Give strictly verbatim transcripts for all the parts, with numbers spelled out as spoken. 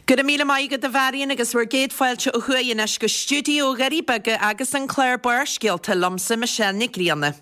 Go raibh míle maith agat a Mharion agus bhur gcéad fáilte ó thuaidh anois go stiúideo Dhoirí Beaga agus an clár Barrscéalta liomsa Michelle Nic Grianna.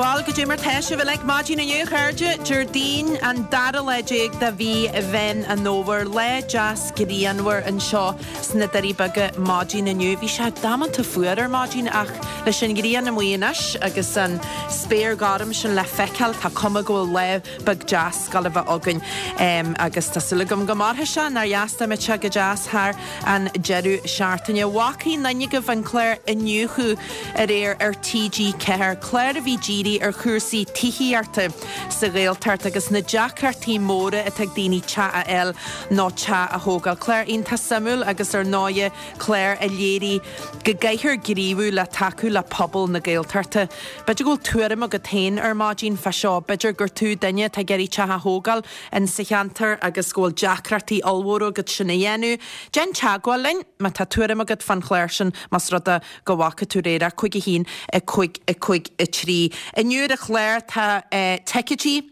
Bhuel, goidé mar tá sibh uilig maidin inniu, a chairde, Déardaoin an dara lá déag de mhí Mheán an Fhómhair, lá deas grianmhar anseo sna Doirí Beaga maidin inniu. Bhí sé damanta fuar ar maidin ach leis an ghrian amuigh anois agus an spéir ghorm sin le feiceáil, tá cuma go bhfuil lá beag deas ag gabháil a bheith againn agus tá súil agam go mairfidh sé, nár dheas dá mbeadh sé go deas thar an deireadh seachtaine. Bhfaca aon duine agaibh an clár Iniúchadh aréir ar T G ceathair, clár a bhí dírithe ar chúrsaí tithíochta sa Ghaeltacht agus na deacrachtaí móra atá ag daoine teach a fháil nó teach a thógáil. Clár iontach suimiúil agus ar ndóighe clár a léirigh go gcaithfear gníomhú le tacú le pobal na Gaeltachta. B'fhéidir go bhfuil tuairim agat féin ar maidin fá seo, b'fhéidir gur tú duine atá ag iarraidh teach a thógáil in sa cheantar agus go bhfuil deacrachtaí ollmhóra agat sin a dhéanamh. Déan teagmháil linn má tá tuairim agat fán chlár sin, más rud é go bhfaca tú aréir é, cúig a haon, a cúig, a cúig, a trí. Inniu ar an chlár tá ticéidí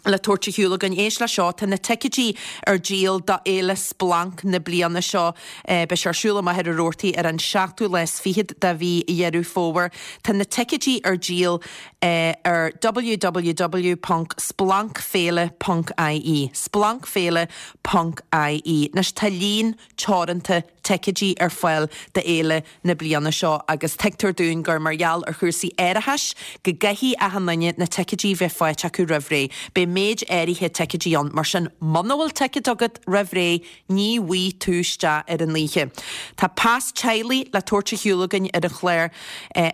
le tabhairt ar shiúl againn. Éist leis seo, tá na ticéidí ar díol do Fhéile Splanc na bliana seo. Beidh sé ar siúl i Machaire Rabhartaigh ar an seachtú lá is fichead de mhí Dheireadh Fómhair. Tá na ticéidí ar díol ar www ponc splancféile ponc ie, splancféile ponc ie. Anois tá líon teoranta ticéidí ar fáil d'fhéile na bliana seo agus tuigtear dúinn gur mar gheall ar chúrsaí árachais go gcaithfidh achan duine na ticéidí bheith faighte acu roimh ré. Beidh méid áirithe ticéidí ann, mar sin muna bhfuil ticéad agat roimh ré ní bhfaighidh tú isteach ar an oíche. Tá pas teaghlaigh le tabhairt ar shiúl againn ar an chlár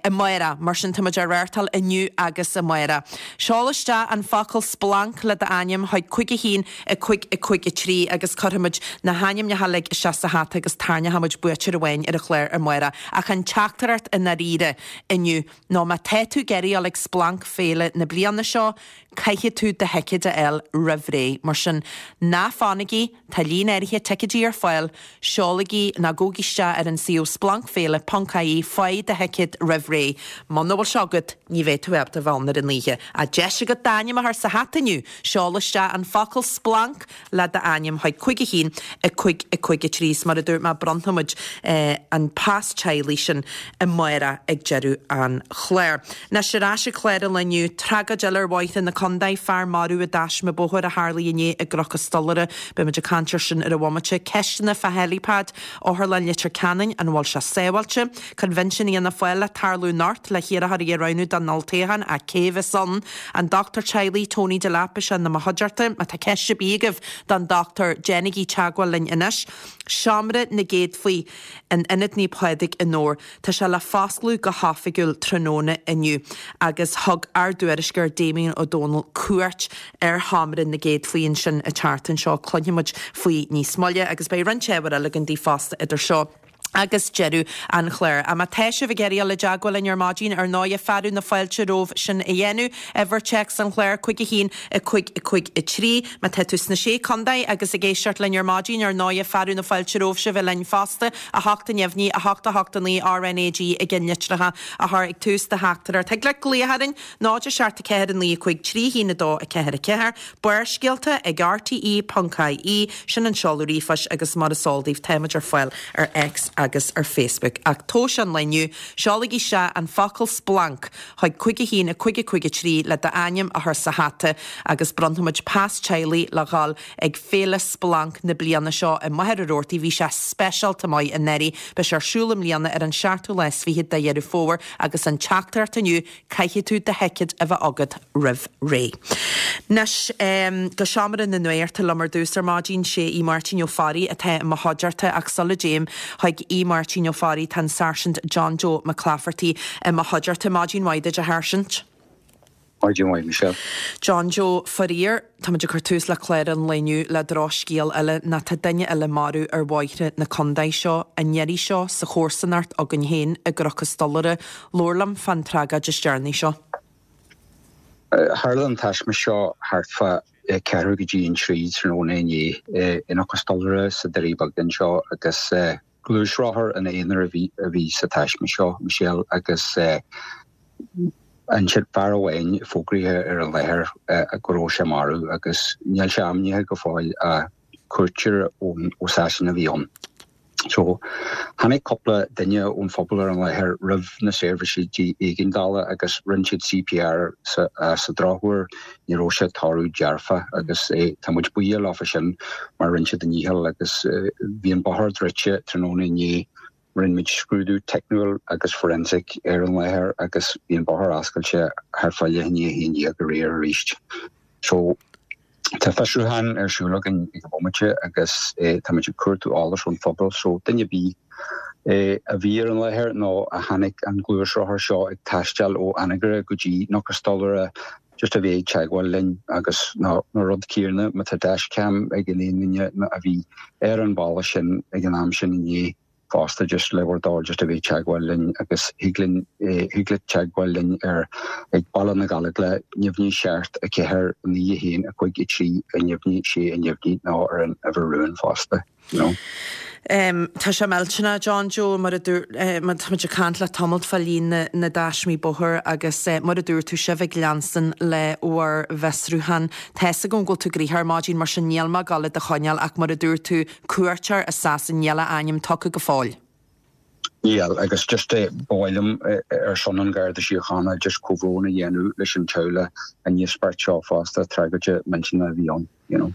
amárach, mar sin táimid á reáchtáil inniu agus amárach. Seol isteach an focal splanc le d'ainm chuig cúig a haon, a cúig, a cúig, a trí agus cuirfimid na hainmneacha uilig isteach sa hata agus tarraingeoidh muid buaiteoir amháin ar an chlár amárach. Ach an teachtaireacht i ndáiríre inniu ná má tá tú ag iarraidh dul ag Splanc Féile na bliana seo, caithfidh tú do thicéad a fháil roimh ré. Mar sin, ná fanaigí, tá líon áirithe ticéidí ar fáil, seolaigí nó gabhaigí isteach ar an suíomh splancfhéile ponc ie, faigh do thicéad roimh ré. Muna bhfuil sé agat, ní bheidh tú ábalta bheith ann ar an oíche. Ach deis agat d'ainm a chur sa hata inniu, seol isteach an focal splanc le d'ainm chuig cúig a haon, a cúig, a cúig, a trí. Is mar a dúirt mé, bronnfaimid an pas teaghlaigh sin amárach ag deireadh an chláir. Anois ar ais ag clár an lae inniu, tragóid eile ar bhóithre na contae, fear marbh i dtaisme bóthair a tharlaigh inné i gCnoc an Stolaire. Beidh muid ag caint air sin ar an bhomaite. Ceisteanna fá helipad Otharlann Leitir Ceanainn, an bhfuil sé sábháilte? Coinbhinsiún Fhianna Fáil le tarlú anocht le hiarrthóirí a roghnú don olltoghchán, ach cé bheas ann? An dochtúir teaghlaigh Tony Delap beidh sé i mo chuideachta. Má tá ceist ar bith agaibh don dochtúir, déanaigí teagmháil linn anois. Seomra na gCéadfaí in Ionad Naomh Pádraig i nDobhar. Tá sé le foscladh go hoifigiúil tráthnóna inniu agus thug ár dtuairisceoir Damien Ó Dónaill cuairt ar Sheomra na gCéadfaí ansin an tseachtain seo. Cluinfidh muid faoi níos moille agus beidh roinnt ábhar eile againn daoibh fosta idir seo agus deireadh an chláir. Ach má tá sibh ag iarraidh dul i dteagmháil linn ar maidin, ar ndóighe, fearadh na fáilte romhaibh sin a dhéanamh. Uimhir téacs an chláir, cúig a haon, a cúig, a cúig, a trí. Má tá tú sna Sé Contae agus ag éisteacht linn ar maidin, ar ndóighe, fearadh na fáilte romhaibh sibh bheith linn fosta, a hocht a neamhní, a hocht a hocht a naoi, R N A G i gceannlitreacha a chur ag tús do theachtaireacht. Thig leat glaoch orainn, náid a seacht a ceathair a naoi a cúig trí haon a dó a ceathair a ceathair. Barrscéalta ag R T E ponc I E, sin an seoladh ríomhphoist agus mar is eol daoibh táimid ar fáil ar X agus ar Facebook. Ach tomhais an lae inniu, seolaigí isteach an focal splanc chuig cúig a haon a cúig a cúig a trí le d'ainm a chur sa hata agus bronnfaimid pas teaghlaigh le dhul ag Féile Splanc na bliana seo i Machaire Rabhartaigh. Bhí sé speisialta maith anuraidh. Beidh sé ar siúl i mbliana ar an seachtú lá is fiche de Dheireadh Fómhair agus an teachtaireacht inniu, caithfidh tú do thicéad a bheith agat roimh ré. Anois, go seomra na nuachta liom ar dtús ar maidin, sé Aodh Máirtín Ó Fearraigh atá i mo chuideachta ach sula dtéim chuig Aodh Máirtín Ó Fearraigh tá an Sáirsint John Joe McClafferty i mo chuideachta. Maidin mhaith duit, a Sháirsint. Maidin mhaith, Michelle. John Joe, faraor, táimid ag cur tús le clár an lae inniu le drochscéal eile ná tá duine eile marbh ar bhóithre na contae seo, an iarraidh seo sa chomharsanacht againn féin i gCnoc an Stolaire. Labhair liom fán tragóid is deireanaí seo. Tharla an taisme seo thart fá ceathrú go dtí an trí tráthnóna inné i gCnoc an Stolaire sna Doirí Beaga anseo agus gluaisrothar ina aonar a bhí a bhí sa taisme seo, Michelle, agus ansin fear amháin fógraithe ar an láthair go raibh sé marbh agus níl sé ainmnithe go fóill ach cuairteoir ón ó Sasana a bhí ann. So tháinig cúpla duine ón phobal ar an láthair roimh na seirbhísí éigeandála agus rinne siad C P R sa, uh, sa drochuair ní raibh sé toradh dearfa agus eh, tá muid buíoch leofa sin mar rinne siad a ndícheall agus eh, bhí an bóthar druidte tráthnóna inné. Rinne muid scrúdú teicniúil agus forensic ar an láthair agus bhí an bóthar oscailte thart fá leath i ndiaidh a haon déag aréir arís. So tá fiosrúchán ar siúl againn ag an bhomaite agus eh, tá muid ag cuartú eolas ón phobal, so duine ar bith eh, a bhí ar an láthair nó a chonaic an gluaisrothar seo ag taisteal ó Anagaire go dtí Cnoc an Stolaire just a bheith ag teagmháil linn agus ná na rud céanna má tá dashcam ag an aon duine a bhí ar an bhealach sin ag an am sin inné fosta just le bhur dtoil just a bheith teagmháil linn agus thig linn thig leat teagmháil linn ar ag Baile na Gallóglach neamhní seacht a ceathair naoi a haon a cúig a trí a neamhní sé a neamhní nó ar an uimhir rúin fosta. You know? Um, tá sé millteanach, John Joe, mar a dúirt eh, mar tá muid ag caint le tamalt fá líon na, na dtaismí bóthair agus eh, mar a dúirt tú sibh ag leanstan le bhur bhfiosrúchán. Tá a fhios agam go bhfuil tú gnoitheach ar maidin, mar sin níl mé ag gabháil do choinneáil, ach mar a dúirt tú, cuairteoir as Sasain, níl a ainm tugtha go fóill. Níl, agus just eh, ba mhaith liom eh, ar son an Gharda Síochána just comhbhrón a dhéanamh leis an teaghlach an íospairt seo fosta, tragóid millteanach a bhí ann. You know.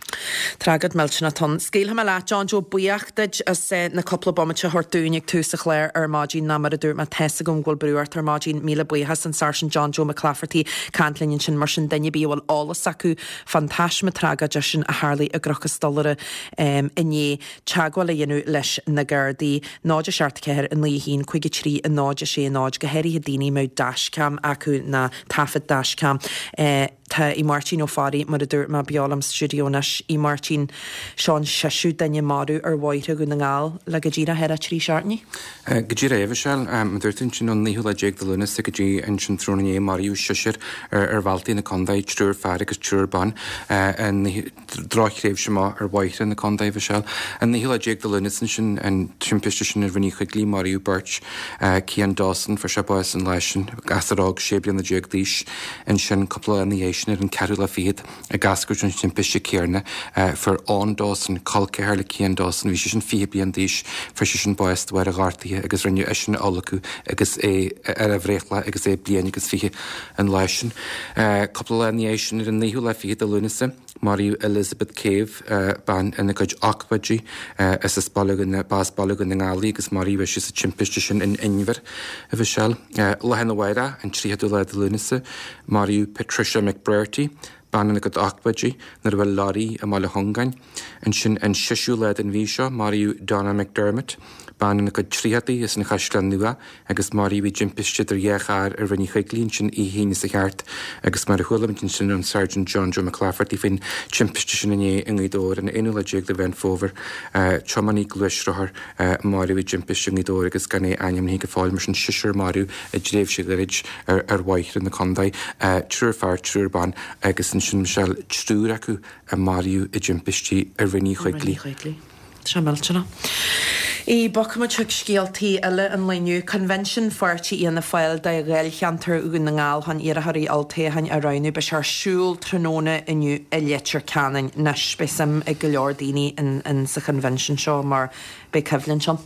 Tragóid millteanach ann. Scaoilfidh mé leat, John Joe, buíoch duit as eh, na cúpla bomaite a thabhairt dúinn ag tús an chláir ar maidin ná mar a dúirt mé tá a fhios agam go bhfuil brú ort ar maidin. Míle buíochas, an Sáirsint John Joe McClafferty ag caint linn ansin. Mar sin, duine ar bith a bhfuil eolas acu fán taisme tragóideach sin a tharla i gCnoc an Stolaire um, inné, teagmháil a dhéanamh leis na Gardaí náid seacht ceathair a naoi haon cúig a trí a náid sé náid, go háirithe daoine a mbeadh dashcam acu ná taifead dashcam. Eh, tá í Máirtín Ó Fearraigh, mar a dúirt mé, beo liom sa stiúideo anois. Í Máirtín, seo an seisiú duine marbh ar bhóithre Dhún na nGall le go díreach ar a trí seachtainí. Go díreach, a Mhichelle, dúirt sin an naoú lá déag de Lúnasa go dtí ansin tráthnóna inné maraíodh seisear ar ar bhealtaí na contae, triúr fear agus triúr ban, drochthréimhse maith ar bhóithre na contae, Michelle. An naoú lá déag de Lúnasa sin an timpiste sin ar Rinn Uí Choigligh, maraíodh beirt. Cian Dawson, fuair sé bás an lá sin, gasúr óg sé bliana déag d'aois. Ansin cúpla lá ina sin ar an ceathrú lá fichead ag eascairt an timpiste céanna, fuair Eoin Dawson, col ceathar le Cian Dawson, bhí sé sin fiche bliain d'aois, fuair sé sin bás de bharr a ghortaithe agus rinneadh eisean a adhlacadh agus é ar a bhreithlá agus é bliain agus fiche an lá sin. Cúpla lá ina sin ar an naoú lá fichead de Lúnasa, maraíodh Elizabeth Cave, bean ina cuid ochtóidí, is as Baile Dhún Baile Dhún na nGall í agus maraíodh í sa timpiste sin in Inbhir, a Mhichelle. Lá arna mhárach, an tríochadú lá de Lúnasa, maraíodh Patricia McBrearty, bean ina cuid ochtóidí nuair a bhuail lorry i mBaile Chongáin. Ansin an seisiú lá den mhí seo maraíodh Donna McDermott, bean ina cuid tríochadaí as an Chaisleán Nua agus maraíodh í i dtimpiste idir dhá charr ar Rinn Uí Choigligh ansin oíche Aoine sa cheart agus mar a chuala muid ansin ón Sergeant John Joe McClafferty faoin timpiste sin inné i nGaoth Dobhair an aonú lá déag de Mheán Fómhair, tiománaí gluaisrothair maraithe i dtimpiste i nGaoth Dobhair agus gan é ainmnithe go fóill. Mar sin seisear marbh i dtréimhse ghairid ar ar bhóithre na contae, triúr fear, triúr ban agus ansin, Michelle, triúr acu a maraíodh i dtimpistí ar Rinn Uí Choigligh. Sé millteanach. I bogfaimid chuig scéaltaí eile an lae inniu, Convention Pháirtí Fhianna Fáil do Dháilcheantar Dhún na nGall chun iarrthóirí olltoghcháin a roghnú. Beidh sé ar siúl tráthnóna inniu i Leitir Ceanainn. Anois beidh suim ag go leor daoine in, in sa convention seo mar beidh coimhlint ann.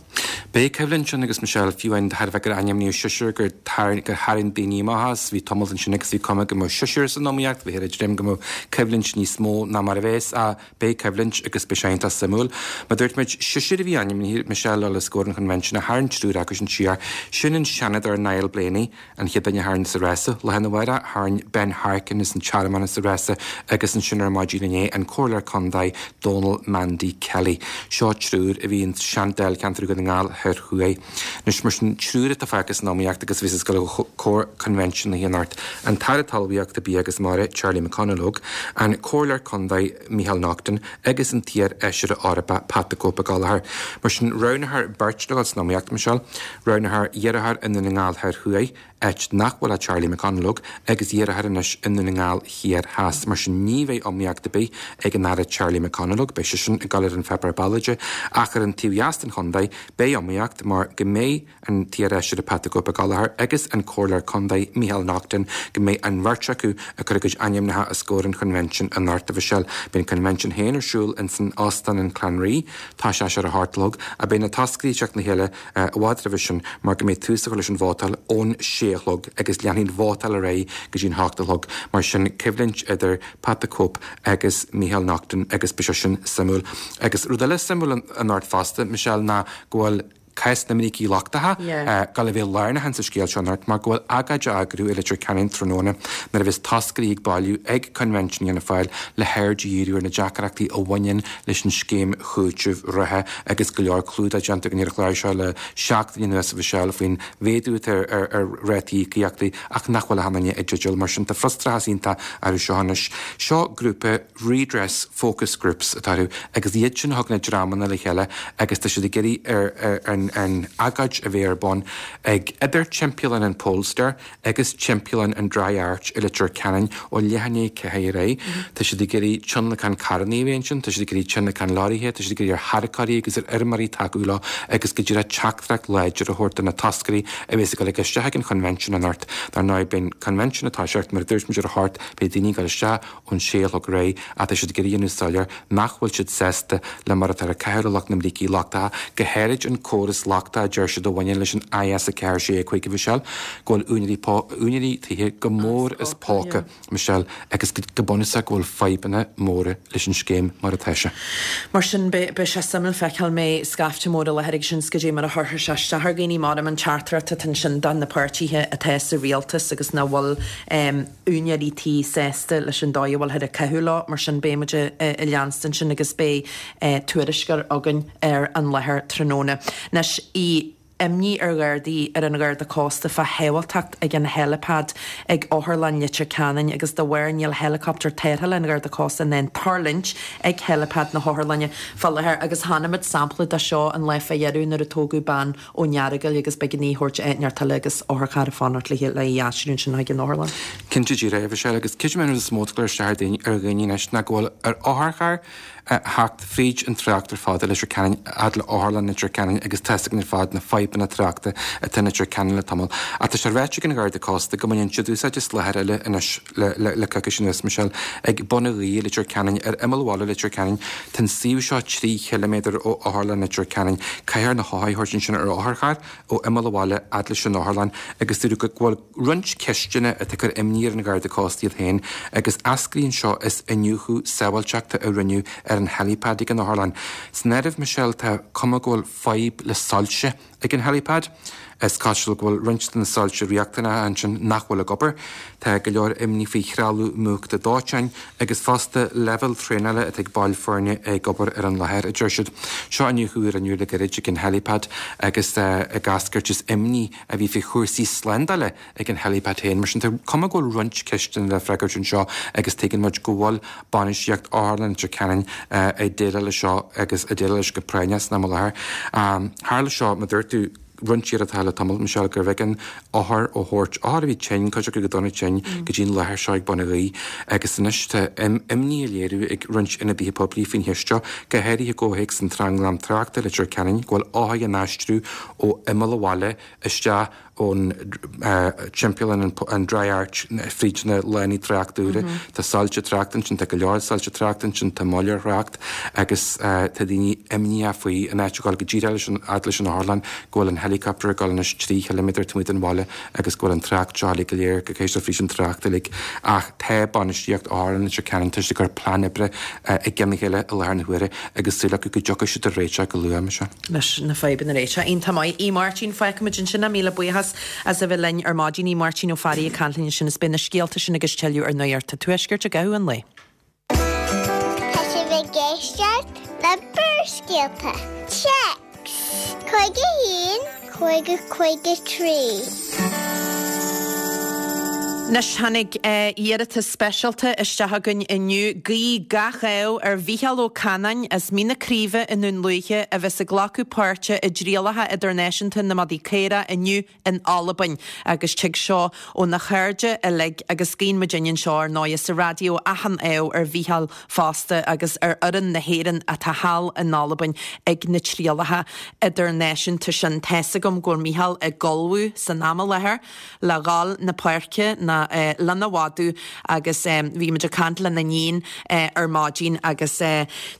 Beidh coimhlint ann agus, Michelle, fiú an thairbhe gur ainmníodh seisear gur gur tharraing daoine amach as, bhí tamall ansin agus bhí cuma go mbeadh seisear san iomaíocht, bhí ar dream go mbeadh coimhlint níos mó ná mar a bheas, a beidh coimhlint agus beidh sé iontach suimiúil. Mar dúirt muid seisear a bhí ainmnithe, Michelle, le scór an convention a tharraing triúr acu sin siar. Sin an Seanadóir Niall Blaney, an chéad duine a tharraing sa rás, lá arna mhárach tharraing Ben Harkin as an Tearmann as sa rás agus ansin ar maidin inné an Comhairleoir Contae Donal Mandy Kelly. Seo triúr a bhí an sean-Dáilcheantar Dhún na nGall Thoir Thuaidh. Anois mar sin triúr atá fágtha san iomaíocht agus bhí go comhair convention na hAonárt. An tAire Talmhaíochta, Bia agus Mara, Charlie McConalogue, an Comhairleoir Contae Micheál Naughton agus an t-iar-fheisire Eorpach Pat the Cope Gallagher. Mar sin roghnófar beirt le san iomaíocht, Michelle, roghnófar iarrthóir i nDún na nGall Thoir Thuaidh áit nach bhfuil ach Charlie McConalogue agus iarrthóir anois i nDún na nGall Thiar Theas. Mar sin ní bheidh iomaíocht ar bith ag an Aire Charlie McConalogue, beidh seisean ag dul ar an pháipéar ballóide, ach ar an taobh dheas den chontae beidh iomaíocht mar go mbeidh an t-iarfheisire Pat the Cope Gallagher agus an Comhairleoir Contae Micheál Naughton go mbeidh an bheirt acu ag cur a gcuid ainmneacha os comhair an Choinbhinsin anocht, a Mhichelle. Beidh an Coinbhinsean féin ar siúl ins an Óstán an Clanree, tá sé ar a hocht a chlog, ach beidh na toscairí ag teacht le chéile i bhfad roimhe sin mar go mbeidh tús á chur leis an vótáil ón sé a chlog agus leanfaidh an vótáil ar aghaidh go dtí an hocht a chlog. Mar sin coimhlint idir Pat the Cope agus Micheál Naughton agus beidh sé sin suimiúil. Agus rud eile suimiúil anocht fosta, Michelle, ná go bhfuil cás na mbrící lochtacha ag dul a bheith lárnach insa scéal seo anocht mar go bhfuil agóid á eagrú i Leitir Ceanainn tráthnóna nuair a bheas toscairí ag bailiú ag Coinbhinsiún Fhianna Fáil le haird a dhíriú ar na deacrachtaí a bhaineann leis an scéim chúitimh reatha agus go leor clúdach déanta againn ar an chlár seo le seachtain anuas a Mhichelle faoin mhéadú atá ar ar rátaí íocaíochtaí ach nach bhfuil achan duine i dteideal mar sin tá frustrachas iontach orthu seo anois. Seo grúpa Redress Focus Groups atá orthu agus iad sin a thug na dreamanna le chéile agus tá siad ag iarraidh ar an an agóid a bheith ar bun ag idir timpeallán an Polestar agus timpeallán an Dry Arch i Leitir Ceanainn ó leath i ndiaidh a ceathair ar aghaidh. Tá siad ag iarraidh tionlacan carranna a bheith ansin, tá siad ag iarraidh tionlacan leoraithe, tá siad ag iarraidh ar tharracóirí agus ar fheirmeoirí tacú leo agus go díreach teachtaireacht láidir a thabhairt do na toscairí a bheas ag dul isteach ag an Choinbhinsiún anocht. Dar ndóigh, beidh an Coinbhinsiún ag toiseacht, mar a dúirt muid ar a hocht, beidh daoine ag dul isteach ón sé a chlog ar aghaidh ach tá siad ag iarraidh a dhéanamh soiléir nach bhfuil siad sásta le mar atá ag caitheamh le lucht na mbrící lochtacha, go háirid an córas lochtach a deir siad a bhaineann leis an I S a ceathair sé a cúig a Mhichelle, go bhfuil úinéirí úinéirí tithe go mór as póca, Michelle, agus go bunúsach go bhfuil fadhbanna móra leis an scéim mar atá sé. Mar sin beidh sé suimiúil feiceáil mbeidh scaifte mór i láthair ag sin 's goidé mar a chuirfidh sé isteach ar dhaoine mar an teachtaireacht atá ansin do na páirtithe atá sa rialtas agus nach bhfuil úinéirí tí sásta leis an dóigh a bhfuilthear ag caitheamh leo, mar sin beidh muid ag leanstan sin agus beidh tuairisceoir againn ar an láthair tráthnóna. Anois í imní ar Ghardaí ar an Gharda Cósta fá shábháilteacht ag an helipad ag Otharlann Leitir Ceanainn agus dá bharr níl helicopter tarrthála an Gharda Cósta in ann tuirlingt ag helipad na hOtharlainne fá láthair agus chonaic muid sampla de seo an lá fá dheireadh nuair a tógadh bean ón Earagail agus b'éigean í a thabhairt áit inteacht eile agus otharcharr ag fanacht léi le í a aistriú ansin chuig an otharlann. Cinnte díreach, a Mhichelle, agus creidim an rud is mó atá ag cur isteach ar dhaoine anois ná go bhfuil ar otharcharr a theacht fríd an trácht ar fad i Leitir Ceanainn, fhad le Otharlann Leitir Ceanainn agus tá 'fhios againn ar fad na fadhbanna tráchta atá in Leitir Ceanainn le tamall. Ach tá sé ráite ag an Gharda Cósta go mbaineann siad úsáid as láthair eile anois le le coicís anuas, Michelle, ag Bun an Ghaoith i Leitir Ceanainn, ar imeall bhaile Leitir Ceanainn. Tá an suíomh seo trí chiliméadar ó Otharlann Leitir Ceanainn. Caithfear na hothair a thabhairt ansin ar otharcharr ó imeall an bhaile fhad leis an otharlann agus dúradh go bhfuil roinnt ceisteanna atá ag cur imní ar an Gharda Cósta iad féin agus eascraíonn seo as iniúchadh sábháilteachta a rinneadh ar an helipad ag an otharlann. San áireamh, Michelle, tá cuma go bhfuil fadhb le soilse ag an helipad. Is cosúil go bhfuil roinnt de na soilse riachtanacha ansin nach bhfuil ag obair. Tá go leor imní faoi threalamh múchta dóiteáin agus fosta leibhéal traenála atá ag baill foirne ag obair ar an láthair, a deir siad. Seo iniúchadh a rinneadh le gairid ag an helipad agus ag eascairt as imní a bhí faoi chúrsaí slándála ag an helipad féin. Mar sin tá cuma go bhfuil roinnt ceisteanna le freagairt anseo agus tuigeann muid go bhfuil bainistíocht Otharlann Leitir Ceanainn ag déileáil leis seo agus ag déileáil leis go práinneach san am i láthair. Tharla seo, mar a dúirt tú, roinnt iarrachtaí le tamall, Michelle, gurbh éigean othair a thabhairt, othair a bhí tinn, cuid acu go dona tinn, go dtí an láthair seo ag Bun an Ghaoith agus anois tá imní á léiriú ag roinnt ionadaithe poiblí faoin cheist seo, go háirithe i gcomhthéacs an tranglam tráchta i Leitir Ceanainn, go bhfuil othair á n-aistriú ó imeall an bhaile isteach ón timpeallán an Dry Arch fríd na lánaí tráchta úra. Tá soilse tráchta ansin, tá go leor soilse tráchta ansin, tá moill ar thrácht agus tá daoine imníoch faoi in áit a dhul go díreach leis an fhad leis an otharlann go bhfuil an helicopter ag dul anois trí chiliméadar taobh amuigh den bhaile agus go bhfuil an trácht seo uilig go léir go gcaithfidh fríd an trácht uilig. Ach tá bainistíocht Otharlann Leitir Ceanainn tar éis cur plean oibre i gceann a chéile i láthair na huaire agus súil acu go dtiocfaidh siad ar réiteach go luath, Michelle. leis na fadhbanna a réiteach. Iontach maith. Aodh Máirtín, fágfaimid ansin é. Míle buíochas as a bheith linn ar maidin. Aodh Máirtín Ó Fearraigh ag caint linn ansin is beidh na scéalta sin agus tuilleadh ar Nuacht an Tuaiscirt i gcaitheamh an lae. Tá sibh ag éisteacht le Barrscéalta. Téacs cúig a haon cúig cúig a trí. Anois tháinig iarratas speisialta isteach againn inniu, guí gach ádh ar Mhícheál Ó Canáin as Mín na Craoibhe i nDún Lúiche a bheas ag glacadh páirte i dtrialacha idirnáisiúnta na madaí caorach inniu in Albain agus tig seo óna chairde uilig agus guíonn muidinne anseo ar ndóigh sa raidió achan ádh ar Mhícheál fosta agus ar fhoireann na hÉireann atá thall in Albain ag na trialacha idirnáisiúnta sin. Tá's agam go bhfuil Mícheál ag ullmhú san am i láthair le dhul na páirce na lena mhadadh agus bhí muid ag caint lena iníon ar maidin agus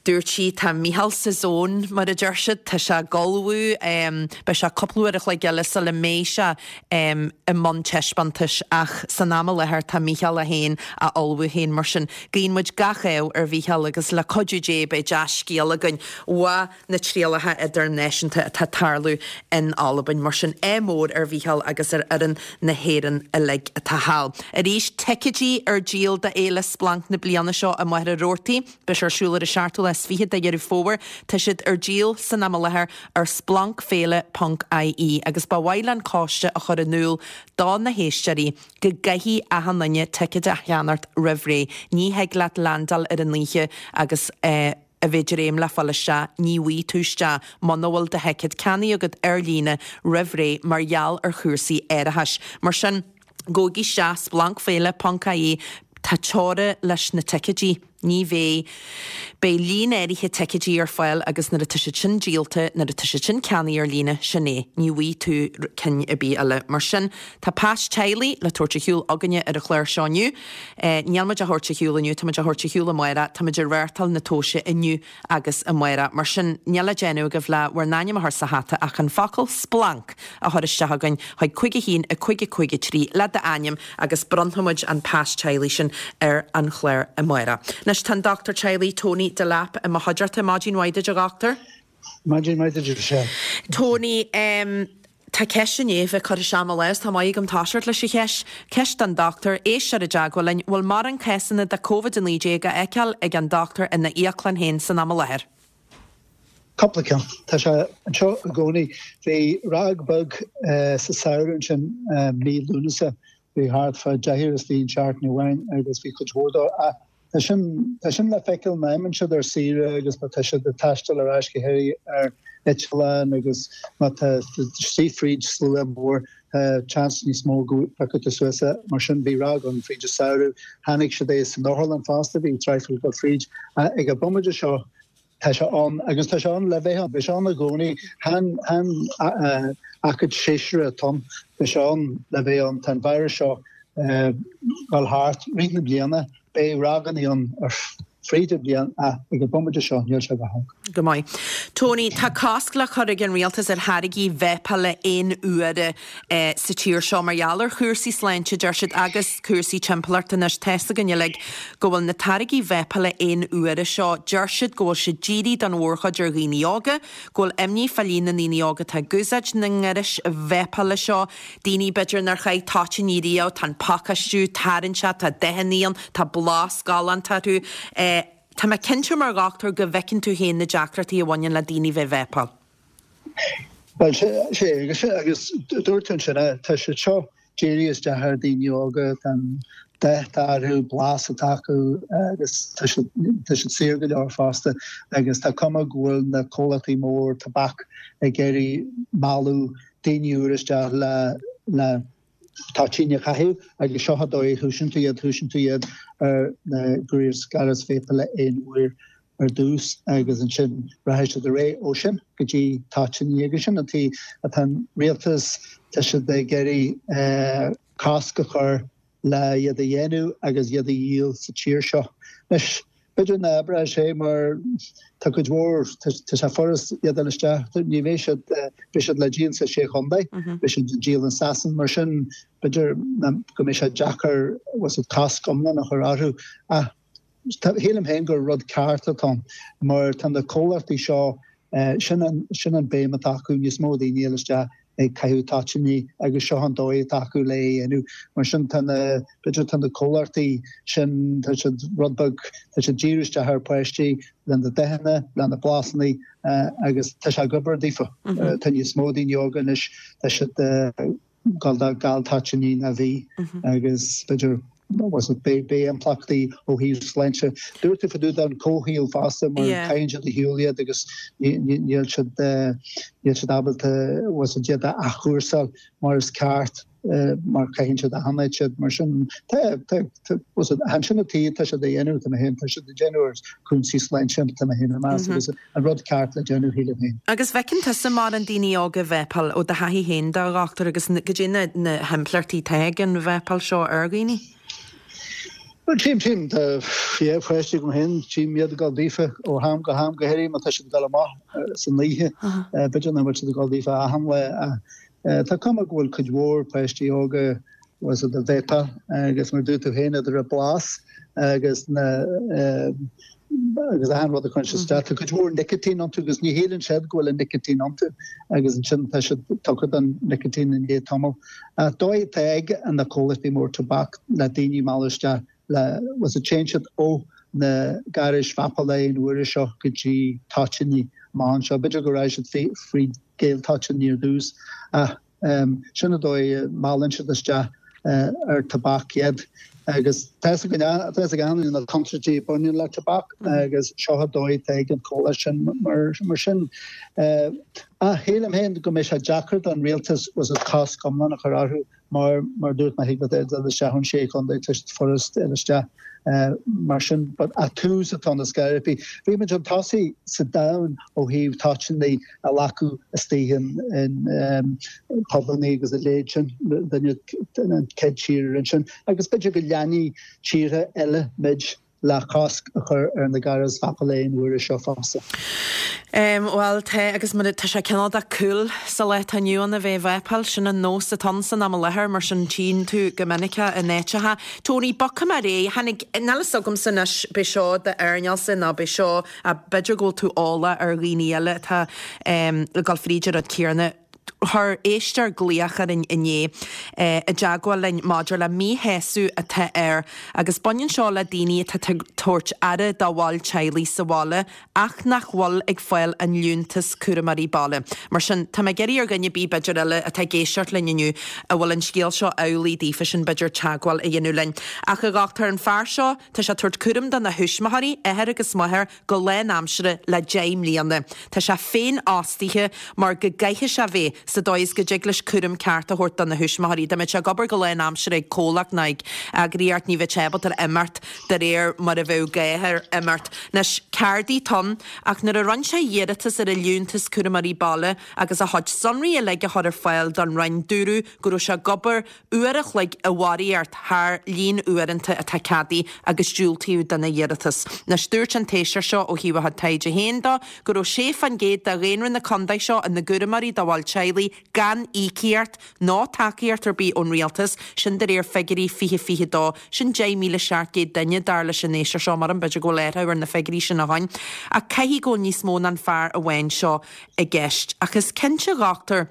dúirt sí tá Mícheál sa zone mar a deir siad, tá sé ag ullmhú, beidh sé cúpla uair a chloig eile sula mbeidh sé i mbun taispeántais ach san am i láthair tá Mícheál é féin á ullmhú féin mar sin guíonn muid gach ádh ar Mhícheál agus le cuidiú Dé beidh dea-scéal againn ó na trialacha idirnáisiúnta atá ag tarlú in Albain mar sin ádh mór ar Mhícheál agus ar fhoireann na hÉireann uilig atá thall. Arís, ticéidí ar díol do Fhéile Splanc na bliana seo i Machaire Rabhartaigh. Beidh sé ar siúl ar an seachtú lá is fiche de Dheireadh Fómhair. Tá siad ar díol san am i láthair ar splancféile ponc ie agus ba mhaith le an coiste a chur in iúl do na héisteoirí go gcaithfidh achan duine ticéad a cheannacht roimh ré. Ní thig leat landáil ar an oíche agus eh, a bheith ag dréim le fáil isteach, ní bhfaighidh tú isteach muna bhfuil do thicéad ceannaithe agat ar líne roimh ré mar gheall ar chúrsaí árachais. Mar sin, gabhaigí isteach splancféile ponc ie, tá teora leis na ticéidí, ní bheidh, beidh líon áirithe ticéidí ar fáil agus nuair atá siad sin díolta, nuair atá siad sin ceannaithe ar líne, sin é, ní bhfaighidh tú cinn ar bith eile. Mar sin, tá pas teaghlaigh le tabhairt ar shiúl againne ar an chlár seo inniu. Níl muid á thabhairt ar shiúl inniu, tá muid á thabhairt ar shiúl amárach, tá muid ag reáchtáil na tomhaise inniu agus amárach. Mar sin, níl le déanamh agaibh le bhur n-ainm a chur sa hata ach an focal 'splanc' a chur isteach againn chuig cúig a haon a cúig a cúig a trí le d'ainm agus bronnfaidh muid an pas teaghlaigh sin ar an chlár amárach. Anois tá an dochtúir teaghlaigh Tony Delap i mo chuideachta. Maidin mhaith duit a dhochtúir. Maidin mhaith duit Michelle. Tony, um, Tá ceist i ndiaidh bheith curtha isteach mo lámh, tá maith agam toiseacht leis an cheist. Ceist don dochtúir, éisteoir i dteagmháil linn, bhfuil mórán cásanna de Covid a naoi déag á fheiceáil ag an dochtúir ina íoclann féin san am i láthair? Cúpla ceann. Tá sé anseo i gcónaí. Bhí ráig beag sa samhradh ansin mí Lúnasa, bhí thart fá deichniúr istigh in seachtain amháin agus bhí cuid mhór dó. Ach tá sin, tá sin le feiceáil má imíonn siad ar saoire agus má tá siad ag taisteal ar ais go háirithe ar eitleán agus má tá istigh fríd slua mór tá seans níos mó go bpiocfaidh tú suas é. Mar sin bhí ráig ann fríd an samhradh. Chonaic siad é san otharlann fosta, bhí traidhfil ag dul fríd. Ach ag an bomaite seo tá sé ann agus tá sé ann le bheith ann. Beidh sé ann i gcónaí. Chan, chan aicíd séasúrach atá ann. Beidh sé ann le bheith ann. Tá an víreas seo ag dul thart rith na bliana. Beidh ráigeanna ann ar fríd an bhliain ach ag an bomaite seo níl sé go holc. Go maith. Tony, tá cosc le cur ag an rialtas ar tháirgí veidhpeála aon uaire sa tír seo mar gheall ar chúrsaí sláinte, deir siad, agus cúrsaí timpeallachta. Anois, tá's againn uilig go bhfuil na táirgí veidhpeála aon uaire seo, deir siad go bhfuil siad dírithe don mhórchuid ar dhaoine óga, go bhfuil imní fá líon na ndaoine óga atá ag úsáid na ngairis veidhpeála seo, daoine b'fhéidir nár chaith toitíní riamh, tá an pacáistiú tarraingteach, tá dathanna ann, tá blas galánta orthu. Tá mé cinnte mar dhochtúir go bhfeiceann tú féin na deacrachtaí a bhaineann le daoine bheith ag veidhpeáil. Bhuel, sé, agus, agus dúirt tú ansin é, tá siad seo dírithe isteach ar daoine óga, tá an dath atá orthu, blas atá acu agus tá siad, tá siad saor go leor fosta agus tá cuma go bhfuil na comhlachtaí mór tobac ag iarraidh mealladh daoine úr isteach le, le toitíní a chaitheamh agus seo an dóigh a thúisíonn tú iad, thúisíonn tú iad ar na gairis vapála aon uair ar dtús agus ansin rachaidh siad ar aghaidh ó sin go dtí toitíní agus sin an tuige atá an rialtas, tá siad ag iarraidh cosc a chur le iad a dhéanamh agus iad a dhíol sa tír seo. Anois, b'fhéidir nach oibreoidh sé mar tá cuid mhór, tá sé furast iad a fháil isteach, ní bheidh siad, beidh siad le díol sa sé chontae, beidh siad le díol in Sasain, mar sin b'fhéidir go mbeidh sé deacair cosc iomlán a chur orthu. Ach shílim féin gur rud ceart atá ann mar tá na comhlachtaí seo, sin an, sin an béim atá acu, níos mó daoine a fháil isteach ag caitheamh toitíní agus seo an dóigh atá acu le é a dhéanamh. Mar sin tá na, b'fhéidir tá na comhlachtaí sin, tá siad rud beag, tá siad díriú isteach ar pháistí le na dathanna, le na blasanna agus tá sé ag obair daofa. Tá níos mó daoine óga anois, tá siad gabháil do gal toitíní ná bhí agus b'fhéidir was it beidh impleachtaí ó thaobh sláinte. Dúirt tú fá dtaobh den comhshaol fosta mar caitheann siad ar shiúl iad agus níl siad níl siad ábalta was it iad a athchúrsáil mar is ceart mar caitheann siad achan áit iad mar sin tá tá was it ansin an tí tá siad a dhéanamh tá mé féin tá siad a dhéanamh ar cúinsí sláinte tá mé féin ag meas agus an rud ceart le déanamh shílim féin. Agus bhfeiceann tusa mórán daoine óga ag vápáil ó do thaithí féin de a dhochtúir agus goidé na na himpleachtaí atá ag an vápáil seo ar dhaoine? Bhuel tchím tchím tá yeah páistí agam féin tchím iad ag dul daofa ó ham go ham go háirithe má tá siad ag dul amach san oíche b'fhéidir nach bhfuil siad ag dul daofa achan lá ach Tá cuma go bhfuil cuid mhór páistí óga was it ag vápáil agus mar dúirt tú féin idir an blas agus na agus achan rud a chuireann siad isteach. Tá cuid mhór nicotine iontu agus ní shíleann siad go bhfuil an nicotine iontu agus ansin tá siad tugtha don nicotine i ndiaidh tamaill. Ach dóigh atá ag na comhlachtaí mór tobac le daoine a mhealladh isteach le was it téann siad ó na gairis vápála aon uaire seo go dtí toitíní amach anseo. B'fhéidir go rachaidh siad fríd gal toitíní ar dtús ach sin an dóigh a meallann siad isteach ar tobac iad. Agus tá a fhios ag achan duine na contúirtí a bhaineann le tobac agus seo an dóigh atá ag an chomhlacht sin mar sin. Ach shílim féin go mbeidh sé deacair don rialtas was it cosc iomlán a chur orthu mar mar dúirt mé thig leat dul isteach ón sé chontae tá siad furast dul isteach mar sin but ach tús atá ann ar scor ar bith. Bhí muid chun tosaigh sa domhan ó thaobh toitíní a ghlacadh istigh in in pubannaí agus a leithéid sin, duine an chéad tír a rinne sin agus b'fhéidir go leanfaidh tíortha eile muid le cosc a chur ar na gairis vápála aon uaire seo fosta. Bhuel, tá, agus mar tá sé cineál de cool sa lá atá inniu ann a bheith ag vápáil, sin an nós atá ann san am i láthair, mar sin tchíonn tú go minic é in áiteacha. Tony, bogfaidh mé ar aghaidh, tháinig, níl fhios agamsa anois, b'é seo d'earnáilsa nó b'é seo, b'fhéidir go bhfuil tú eolach ar dhaoine eile atá ag dul fríd an rud céanna. Chuir éisteoir glaoch orainn inné i dteagmháil linn maidir le míshásamh atá air agus baineann seo le daoine atá ag tabhairt aire dá bhaill teaghlaigh sa bhaile ach nach bhfuil ag fáil an liúntas cúramóirí baile. Mar sin, tá mé ag iarraidh ar dhuine ar bith b'fhéidir eile atá ag éisteacht linn inniu a bhfuil an scéal seo amhlaidh daofa sin b'fhéidir teagmháil a dhéanamh linn. Ach a dhochtúir, an fear seo, tá sé ag tabhairt cúram do na thuismitheoirí, athair agus máthair, go lánaimseartha le deich mbliana. Tá sé féinfhostaithe mar go gcaithfidh sé bheith sa dóigh is go dtig leis cúram ceart a thabhairt do na thuismitheoirí. Dá mbeadh sé ag obair go lánaimseartha ag comhlacht ná ag eagraíocht ní bheadh sé ábalta imeacht de réir mar a bheadh gá air imeacht. Anois, ceardaí atá ann, ach nuair a rinne sé iarratas ar a liúntas cúramóirí baile agus a chuid sonraí uilig a chur ar fáil don Roinn dúradh go raibh sé ag obair uair a chloig i bharraíocht thar líon uaireanta atá ceadaithe agus diúltaíodh dona iarratas. Anois dúirt an t-éisteoir seo ó thaobh a chuid taighde féin de go raibh sé fán gcéad de dhaonra na contae seo ina gcúramóirí do bhaill teaghlaigh gan íocaíocht ná tacaíocht ar bith ón rialtas, sin de réir figiúirí fiche fiche dó. Sin deich míle seacht gcéad duine dar leis an éisteoir seo, mar b'fhéidir go bhfuil athrú ar na figiúirí sin ó shin. Ach caithfidh go bhfuil níos mó ná an fear amháin seo i gceist. Ach is cinnte a dhochtúir,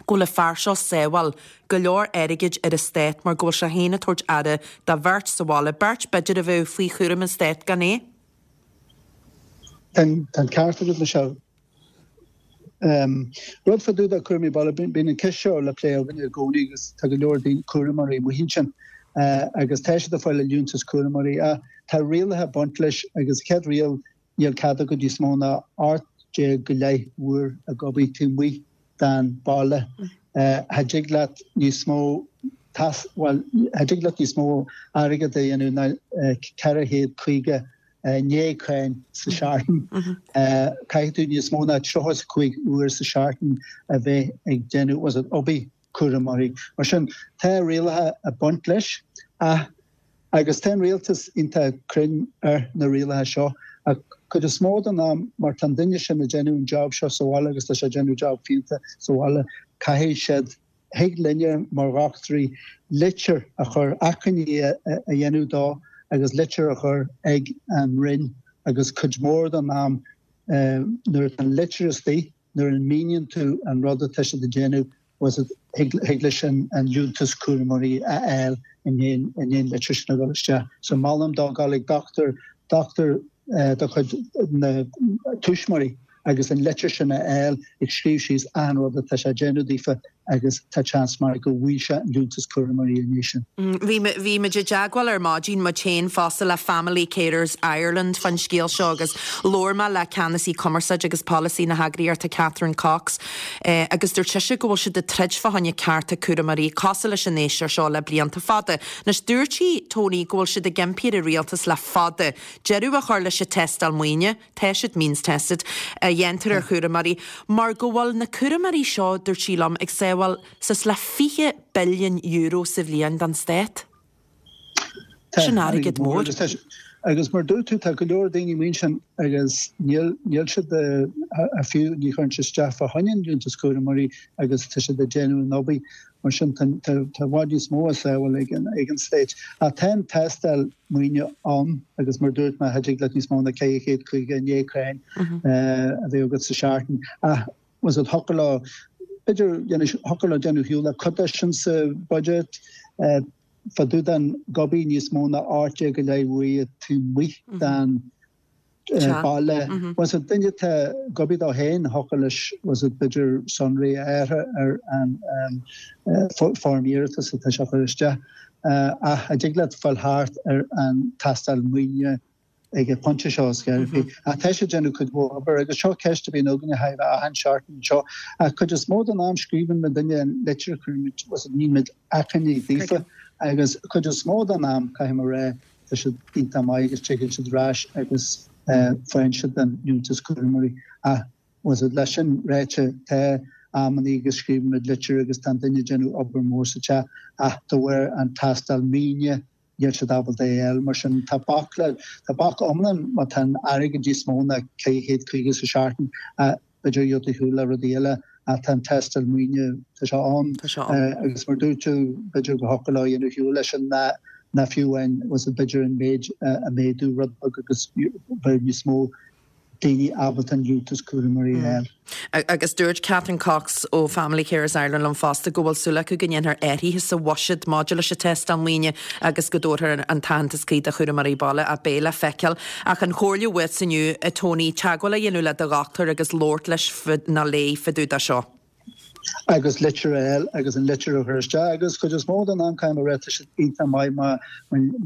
go bhfuil an fear seo ag sábháil go leor airgid ar an stát mar go bhfuil sé féin ag tabhairt aire do bheirt sa bhaile, beirt b'fhéidir a bheadh faoi chúram an stáit gan é. Tá an ceart agat, Michelle. Rud fá dtaobh de chúramóirí baile, bíonn an ceist seo le plé againne i gcónaí agus tá go leor daoine, cúramóirí amuigh ansin agus tá siad ag fáil a liúntas cúramóirí ach tá rialacha ag baint leis agus chéad riail níl cead agat níos mó ná ocht déag go leith uair ag obair taobh amuigh den baile. Cha dtig leat níos mó bhuel, cha dtig leat níos mó airgead a dhéanamh ná ceithre chéad caoga i ndiaidh cáin sa seachtain. Caithfidh tú níos mó ná tríocha is a cúig uair sa seachtain a bheith ag déanamh was it obair cúramóirí. Mar sin, tá rialacha ag baint leis ach agus tá an rialtas iontach cruinn ar na rialacha seo ach cuid is mó den am mar tá an duine sin ag déanamh an job seo sa bhaile agus tá sé ag déanamh job fiúntach sa bhaile caithfidh siad Thig linne mar dhochtúirí litir a chur, achainí a dhéanamh dó agus litir a chur ag an Roinn agus cuid mhór den am nuair atá an litir istigh, nuair a mhíníonn tú an rud atá siad ag déanamh, thig leis an liúntas cúramóirí a fháil i ndiaidh an litir sin a dhul isteach. So molaim dó gabháil ag dochtúir, dochtúir de chuid na tuismitheoirí agus an litir sin a fháil ag scríobh síos achan rud atá sé ag déanamh daofa agus tá seans maith go bhfaighidh sé an Liúntas Cúramóirí ina dhiaidh sin. Bhí bhí muid i dteagmháil ar maidin muid féin fosta le Family Carers Ireland fan scéal seo agus labhair mé le ceannasaí cumarsáide agus polasaí na heagraíochta Catherine Cox eh, agus dúirt sise go bhfuil siad ag troid fá choinne cearta cúramóirí cosúil leis an éisteoir seo le blianta fada. Anois dúirt sí Tony go bhfuil siad ag impí ar an rialtas le fada. Deireadh a chur leis an tástáil maoine, tá siad means tested a dhéantar ar chúramóirí, mar go bhfuil na cúramóirí seo dúirt sí liom ag sábháil suas le fiche billion euro sa bhliain don stát. Sin airgead mór. Agus mar dúirt tú tá go leor daoine mar sin agus níl níl siad a fiú ní chuireann siad isteach fá choinne an Liúntas Cúramóirí agus tá siad ag déanamh an obair mar sin tá i bhfad níos mó a sábháil ag an ag an stát. Ach tá an tástáil maoine ann agus mar dúirt mé thig leat níos mó ná ceithre chéad caoga a naoi crann a bheith agat sa seachtain. Ach was it thiocfadh leo b'fhéidir thiocfadh leo déanamh shiúl le cuid de sin sa budget fá dtaobh den gobaí níos mó ná ocht déag go leith uaire taobh amuigh den baile. Was it duine atá ag obair dó féin thiocfadh leis was it b'fhéidir sonraí a athrú ar an foirm iarratais atá sé a chur isteach. Ach a dtig leat fáil thart ar an tástáil maoine ag an bpointe seo is gearr. Ach tá siad ag déanamh cuid mhór obair agus seo ceist a bhíonn againne thar achan seachtain anseo. Ach cuid is mó den am scríobhann muid duine an litir chuirimid was it nímid achainí daofa agus cuid is mó den am caithfidh mé a rá tá siad iontach maith agus tigeann siad ar ais agus faigheann siad an Liúntas Cúramóirí. Ach was it leis sin ráite tá amannaí agus scríobhann muid litir agus tá an duine ag déanamh obair mhór sa teach ach de bharr an tástáil maoine níl siad ábalta é a fháil. Mar sin tá bac le tá bac iomlán má tá an airgead níos mó ná ceithre chéad caoga sa seachtain b'fhéidir gheobhaidh tú shiúl le rudaí eile ach tá an tástáil maoine tá sé ann agus mar dúirt tú b'fhéidir go thiocfadh leo a dhéanamh shiúl leis an ná ná fiú amháin was it b'fhéidir an méid a méadú rud beag agus bheadh níos mó daoine ábalta an Liúntas Cúramóirí a fháil. Agus dúirt Catherine Cox ó Family Carers Ireland liom fosta go bhfuil súil acu go ndéanfar athruithe sa bhuiséad maidir leis an tástáil maoine agus go dtabharfar an t-aitheantas cuí do chúramóirí baile ach beidh le feiceáil. Ach an chomhairle uait inniu, a Tony, teagmháil a dhéanamh le do dhochtúir agus labhairt leis nó léi fá dtaobh de seo. agus litir a fháil agus an litir a chur isteach agus cuid is mó den am caithfidh mé a rá tá siad iontach maith má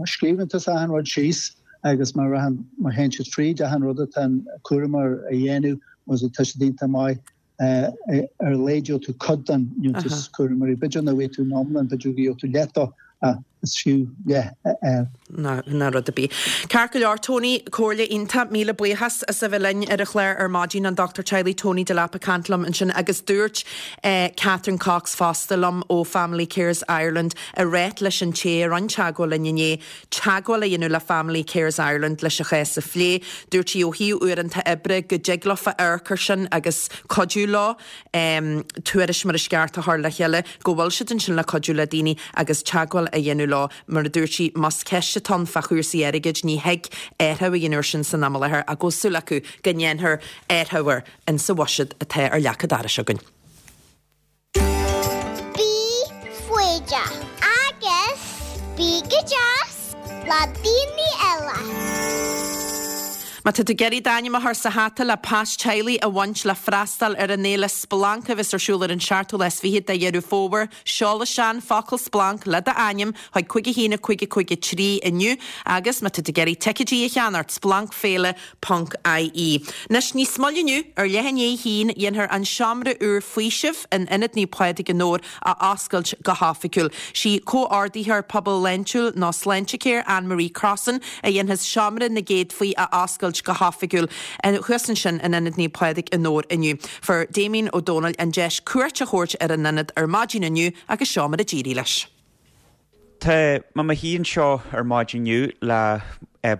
má scríobhann tusa achan rud síos agus má rahan má théann siad fríd achan rud atá an cúramóir a dhéanamh was it tá siad iontach maith ar a laghad gheobhaidh tú cuid den Liúntas Cúramóirí. B'fhéidir nach bhfaighidh tú an iomlán, b'fhéidir go gheobhaidh tú leath dó ach is fiú leath a fháil. Ná ná rud ar bith. Ceart go leor, Tony, comhairle iontach, míle buíochas as a bheith linn ar an chlár ar maidin, an Dochtúir Teaghlaigh Tony Delap ag caint liom ansin agus dúirt eh, Catherine Cox fosta liom ó Family Carers Ireland a rá leis an té a rinne teagmháil linn inné teagmháil a dhéanamh le Family Carers Ireland leis an chás a phlé. Dúirt sí ó thaobh uaireanta oibre go dtig leofa amharc air sin agus cuidiú leo um, tuairisc mar is ceart a chur le chéile go bhfuil siad ansin le cuidiú le daoine agus teagmháil a dhéanamh leo mar a dúirt sí más ceist atá ann fá chúrsaí airgid ní thig athrú a dhéanamh air sin san am i láthair ach go bhfuil súil acu go ndéanfar athrú air insa bhuiséad atá ar leac an dorais againn. Bí foighdeach agus bí go deas le daoine eile. Má tá tú ag iarraidh d'ainm a chur sa hata le pas teaghlaigh a bhaint le freastal ar an fhéile Splanc a bheas ar siúl ar an seachtú lá is fiche de Dheireadh Fómhair, seol isteach an focal Splanc le d'ainm chuig cúig a haon a cúig a cúig a trí inniu agus má tá tú ag iarraidh ticéidí a cheannacht splancféile ponc IE. Anois níos moille inniu ar leath i ndiaidh a haon dhéanfar an seomra úr faoisimh in Ionad Naomh Pádraig i nDobhar a oscailt go hoifigiúil. Sí comhordaitheoir pobal Shláintiúil nó Sláintecare Anne-Marie Crossan a dhéanfas seomra na gcéadfaí a oscailt go hoifigiúil thuas ansin in Ionad Naomh Pádraig i nDobhar inniu. Fuair Damien Ó Dónaill an deis cuairt a thabhairt ar an ionad ar maidin inniu agus seo mar a d'éirigh leis. Tá mé i mo shuí anseo ar maidin inniu le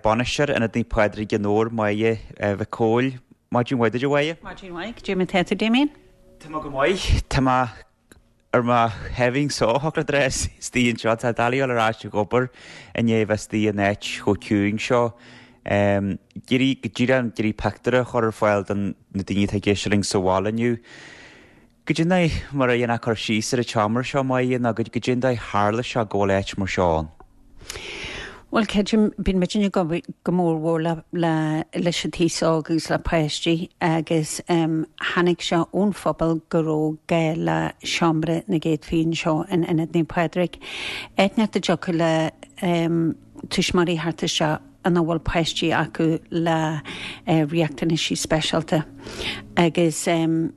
bainisteoir Ionad Naomh Pádraig i nDobhar, Máire Mhic Cóil. Maidin mhaith duit, a Mháire? Maidin mhaith, cad é mar atá tú Damien? Tá mé go maith, Tá mé ar mo shuaimhneas só thocla istigh anseo, tá doiligh dul ar ais ag obair i ndiaidh bheith istigh in áit chomh ciúin seo. Um, Géirí go dtír an géirí pictiúr a chur ar fáil don na daoine atá ag éisteacht linn sa bhaile inniu. Cad é mar a dhéanfá cur síos ar an tseomra seo Máire nó cad é an dóigh tharla sé go bhfuil áit mar seo ann. Bhuel, creidim, bíonn muidinne ag obair go mór mhór le, le, leis an t-aos óg agus le páistí agus um, tháinig sé ón phobal go raibh gá le seomra na gcéadfaí anseo in Ionad Naomh Pádraig. Áit a dtiocfadh le um, tuismitheoirí theacht isteach ina bhfuil páistí acu le uh, riachtanaisí speisialta. Agus um,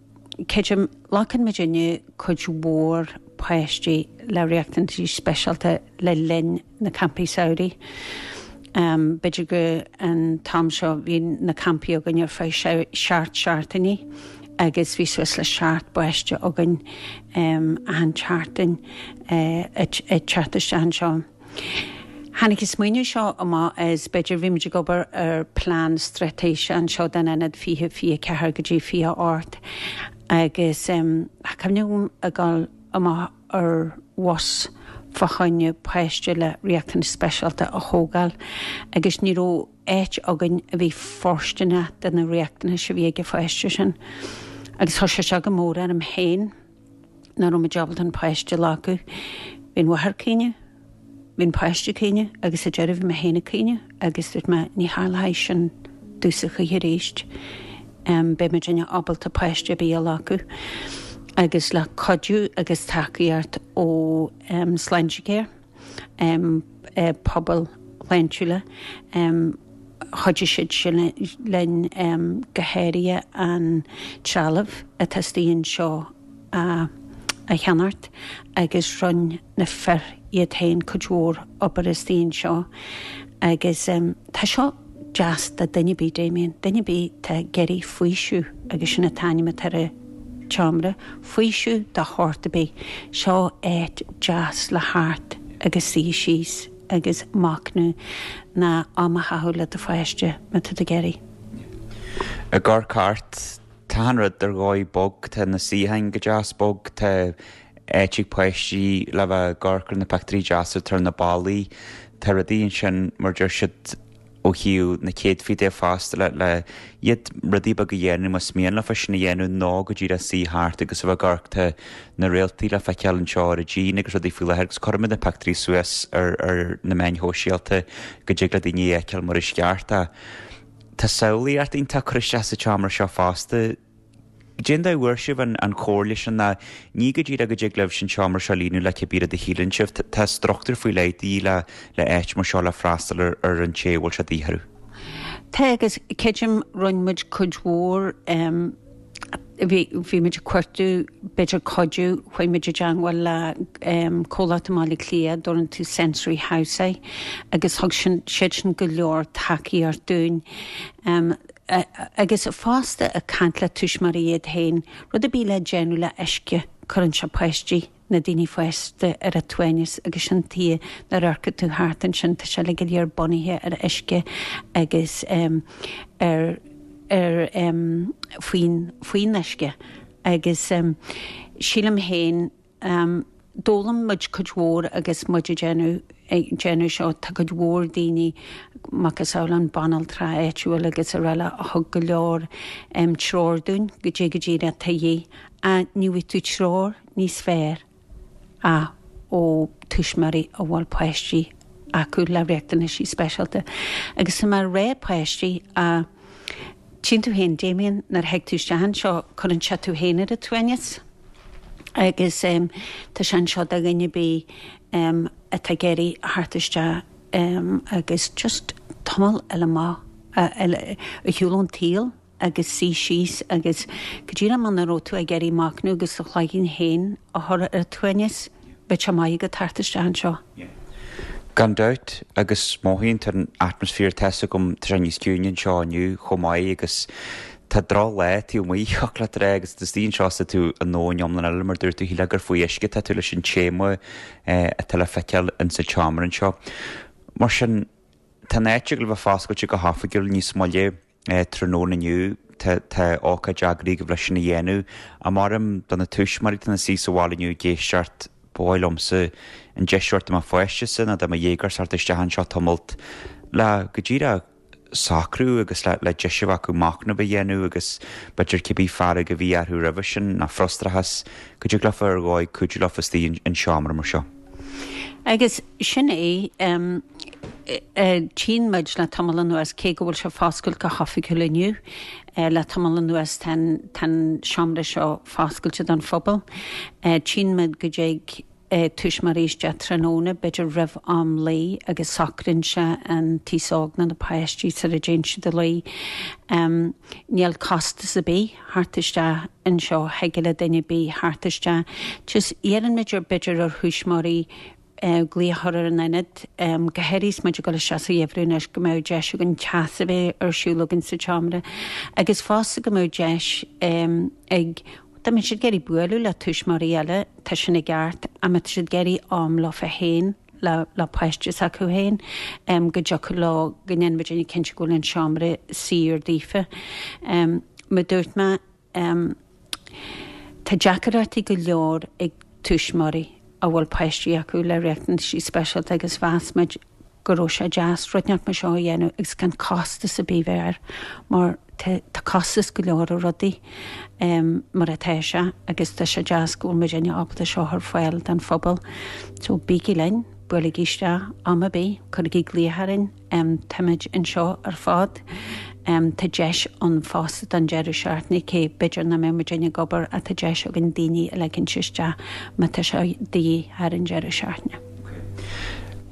creidim, glacann muidinne cuid mhór páistí le riachtanaisí speisialta le linn na campaí samhraidh. Um, B'fhéidir go an t-am seo bhí na campaí againn ar feadh seacht seachtainí agus bhí suas le seacht bpáiste againn um, an tseachtain uh, ag teacht isteach anseo. Tháinig an smaoineamh seo amach as b'fhéidir bhí muid ag obair ar plean straitéise anseo don ionad fiche fiche ceathair go dtí fiche ocht agus um, cuimhním ag dul amach ar bhus fá choinne páiste le riachtanais speisialta a thógáil agus ní raibh áit againn a bhí fóirsteanach do na riachtanais a bhí ag an pháiste sin. Agus tá sé seo go mór orm féin nach raibh muid ábalta an páiste a ghlacadh. Bhí an mháthair ag caoineadh, bhí an páiste ag caoineadh agus sa deireadh bhí mé féin ag caoineadh agus dúirt mé ní tharlóidh sin domhsa choíche arís. Um, beidh muidinne ábalta páiste ar bith a ghlacadh. Agus le cuidiú agus tacaíocht ó um, Sláintecare, um, eh, pobal shláintiúla, um, chuidigh siad sin linn um, go háirithe an trealamh atá istigh anseo a, a cheannacht agus rinne na fir iad féin cuid mhór obair istigh anseo agus um, tá seo deas do duine ar bith Damien, duine ar bith atá ag iarraidh faoiseamh agus sin an t-ainm atá ar an tseomra, faoiseamh de shórt ar bith, seo áit deas le theacht agus suí síos agus machnamh nó am a chaitheamh le do pháiste má tá tú ag iarraidh. Ag amharc thart, tá an rud ar dhóigh bog, tá na suíocháin go deas bog, tá áit ag páistí le bheith ag amharc ar na pictiúirí deasa atá ar na ballaí, tá rudaí ansin mar deir siad ó thaobh na céadfaí de fosta le le iad rudaí beaga a dhéanamh más mian leofa sin a dhéanamh nó go díreach suí thart agus a bheith ag amharc tá na réaltaí le feiceáil anseo ar an díon agus rudaí faoi láthair agus cuirfimid na pictiúirí suas ar ar na meáin shóisialta go dtig le daoine a fheiceáil mar is ceart é. Tá samhlaíocht iontach curtha isteach sa tseomra seo fosta. Cén dóigh a bhfuair sibh an an chomhairle sin ná ní go díreach go dtig libh sin seomra seo a líonadh le cibé rud a shíleann sibh, tá struchtúr faoi leith de dhíth le le áit mar seo le freastal ar ar an té a bhfuil sé de dhíth orthu. Tá agus creidim rinne muid cuid mhór um, bhí bhí muid ag cuartú b'fhéidir cuidiú chuaigh muid i dteagmháil le um, comhlacht i mBaile Átha Cliath dtugann tú Sensory House agus thug sin siad sin go leor tacaíocht dúinn. Um, agus fosta ag caint le tuismitheoirí iad féin, rud ar bith le déanamh le uisce cuireann sé páistí na daoine fásta ar a suaimhneas agus sin tuighe nuair a amharcann tú thart ansin tá sé go léir bunaithe ar uisce agus um, ar ar um, faoin faoin uisce agus um, sílim féin um, d'fhoghlaim muid cuid mhór agus muid ag déanamh ag déanamh seo tá cuid mhór daoine macasamhail an banaltra áitiúil agus araile a thug go leor um, treoir dúinn go dtí go dtí a tuí a ní bhfaighidh tú treoir níos fearr a ó tuismitheoirí a bhfuil páistí acu le riachtanaisí speisialta. Agus mar ré páistí a Tchíonn tú féin Damien nuair a thig tú isteach anseo cuireann sé tú féin ar a tsuaimhneas. Agus um, tá sé anseo do dhuine ar bith um, atá ag iarraidh theacht isteach um, agus just tamall eile maith ar shiúl ón tsaol agus suí síos agus go díreach muna raibh tú ag iarraidh machnamh agus do chloigeann féin a chur ar a tsuaimhneas, bheadh sé maith agat theacht isteach anseo. Gan dabht agus mothaíonn tú an atmaisféar tá a fhios agam tá sé níos ciúine anseo inniu chomh maith agus tá drochlá taobh amuigh thiocfadh leat a rá agus is istigh anseo tá tú i ndomhan iomlán eile mar dúirt tú shílfeá gur faoi uisce tá tú leis an téama atá le feiceáil in sa tseomra anseo. Mar sin tá an áit ag le bheith foscailte go hoifigiúil níos moille tráthnóna inniu tá tá ócáid eagraithe agaibh leis sin a dhéanamh. Maram do na tuismitheoirí atá ina suí sa bhaile inniu ag éisteacht ba mhaith liomsa an deis a thabhairt do mo pháiste nó do mo dhéagóir theacht isteach anseo tamalt le go díreach socrú agus le le deis a bheith acu machnamh a dhéanamh agus b'fhéidir cibé fearg a bhí orthu roimhe sin ná frustrachas go dtig leofa ar dhóigh cuidiú leofa istigh in seomra mar seo. Agus sin é um, Tchíonn muid le tamall anuas, cé go bhfuil sé foscailte go hoifigiúil inniu, le tamall anuas tá an seomra seo foscailte don phobal. Tchíonn muid go dtig tuismitheoirí isteach tráthnóna, b'fhéidir roimh am luí agus socraíonn sé an t-aos óg nó na páistí sar a dtéann siad a luí. Níl costas ar bith theacht isteach anseo, thig le duine ar bith theacht isteach. Just iarrann muid ar b'fhéidir ar thuismitheoirí glaoch a chur ar an ionad, go háirithe is muid ag dul isteach sa gheimhreadh anois, go mbeadh deis againn teas a bheith ar siúl againn sa tseomra agus fosta go mbeadh deis ag, dá mbeadh siad ag iarraidh bualadh le tuismitheoirí eile, tá sin i gceart, ach má tá siad ag iarraidh am leofa féin, le le páiste s'acu féin, go dtiocfadh leo, go ndéanfaidh muidinne cinnte go bhfuil an seomra saor daofa. Mar a dúirt mé, tá deacrachtaí go leor ag tuismitheoirí a bhfuil páistí acu le riachtanaisí speisialta agus mheas muid go raibh sé deas rud inteacht mar seo a dhéanamh agus gan costas ar bith bheith air mar tá costas go leor ar rudaí mar atá sé agus tá sé deas go bhfuil muidinne ábalta seo a chur ar fáil don phobal. So bígí linn, buailigí isteach am ar bith, cuirigí glaoch orainn. Táimid anseo ar fad. Tá deis ann fosta don deireadh seachtaine, cé b'fhéidir nach mbeidh muidinne ag obair ach tá deis againn daoine a ligint isteach má tá sé de dhíth thar an deireadh seachtaine.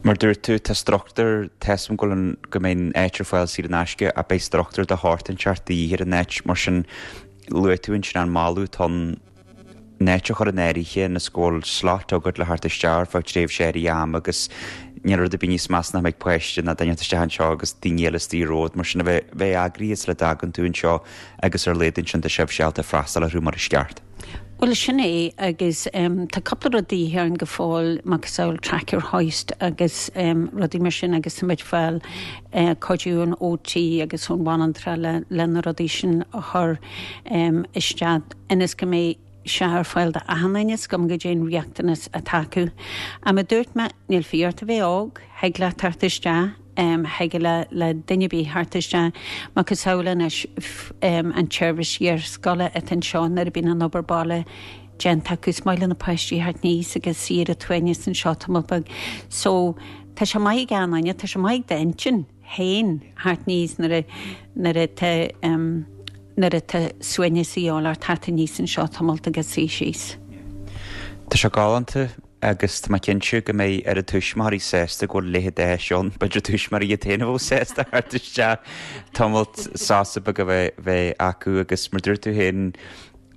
Mar dúirt tú, tá struchtúr, tá 'fhios a'm go bhfuil an, go mbeidh an áit ar fáil saor in aisce ach beidh struchtúr de shórt inteacht de dhíth ar an áit, mar sin luaigh tú ansin an moladh atá ann an áit a chur in áirithe ionas go bhfuil slot agat le theacht isteach ar feadh tréimhse áirithe ama agus níl rud ar bith níos measa ná go mbeidh páiste ná duine isteach anseo agus daoine eile istigh romhat mar sin a bheith bheith eagraithe sula dtagann tú anseo agus ar a laghad ansin tá sibhse ábalta freastal orthu mar is ceart. Bhuel sin é agus tá cúpla rud de dhíth orainn go fóill, macasamhail tracker hoist agus rudaí mar sin agus tá muid ag fáil cuidiú ón OT agus ón bhanaltra le le na rudaí sin a chur isteach ionas go mbeidh sé ar fáil do achan duine is cuma goidé an riachtanas atá acu. Ach mar a dúirt mé, níl fiú ort a bheith óg, thig leat teacht isteach, thig le le duine ar bith theacht isteach, macasamhail anois an tseirbhís iarscoile atá anseo nuair a bhíonn an obair baile déanta acu, is maith le na páistí theacht aníos agus suí ar an tsuaimhneas anseo tamall beag. So, tá sé maith ag achan duine, tá sé maith ag d'intinn féin theacht aníos nuair a nuair atá nuair atá suaimhneas a dhíobháil ort theacht aníos anseo tamalt agus suí síos. Tá sé galánta agus tá mé cinnte go mbeidh oiread tuismitheoirí sásta go bhfuil a leithéid d'áis ann. B'fhéidir tuismitheoirí iad féin a bheadh sásta theacht isteach tamalt sásamh beag a bheith bheith acu agus mar dúirt tú féin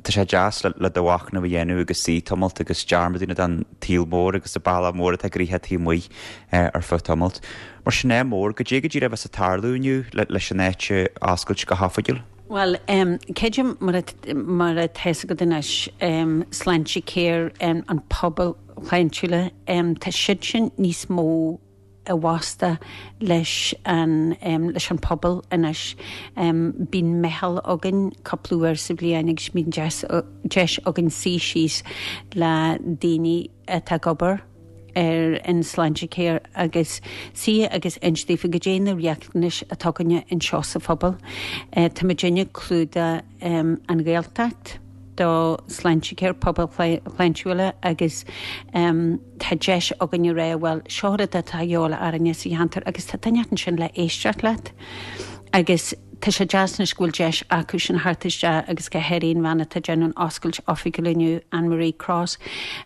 tá sé deas le do mhachnamh a dhéanamh agus suí tamalt agus dearmad a dhéanamh den tsaol mór agus an bealach mór atá gnoitheach taobh amuigh ar feadh tamalt. Mar sin ádh mór, goidé go díreach a bheas ag tarlú inniu leis an áit a oscailt go hoifigiúil? Bhuel, creidim mar mar atá 'fhios agat anois, Sláintecare, an pobail shláintiúla, tá siad sin níos mó i bhfostú leis an leis an pobal anois. Bíonn meitheal againn cúpla uair sa bhliain agus bíonn deis deis againn suí síos le daoine atá ag obair ar an Sláintecare agus suí agus inse daofa goidé na riachtanais atá againne anseo sa phobal. Tá muidinne ag clúdach an Ghaeltacht. do Sláintecare pobail shláintiúla agus tá deis againn a rá bhuel seo rud atá a dhíobháil orainne sa cheantar agus tá duine ansin le éisteacht leat agus tá sé deas anois go bhfuil deis acu sin theacht isteach agus go háirithe an bhean atá ag déanamh an oscailt oifigiúil inniu, Anne Marie Cross.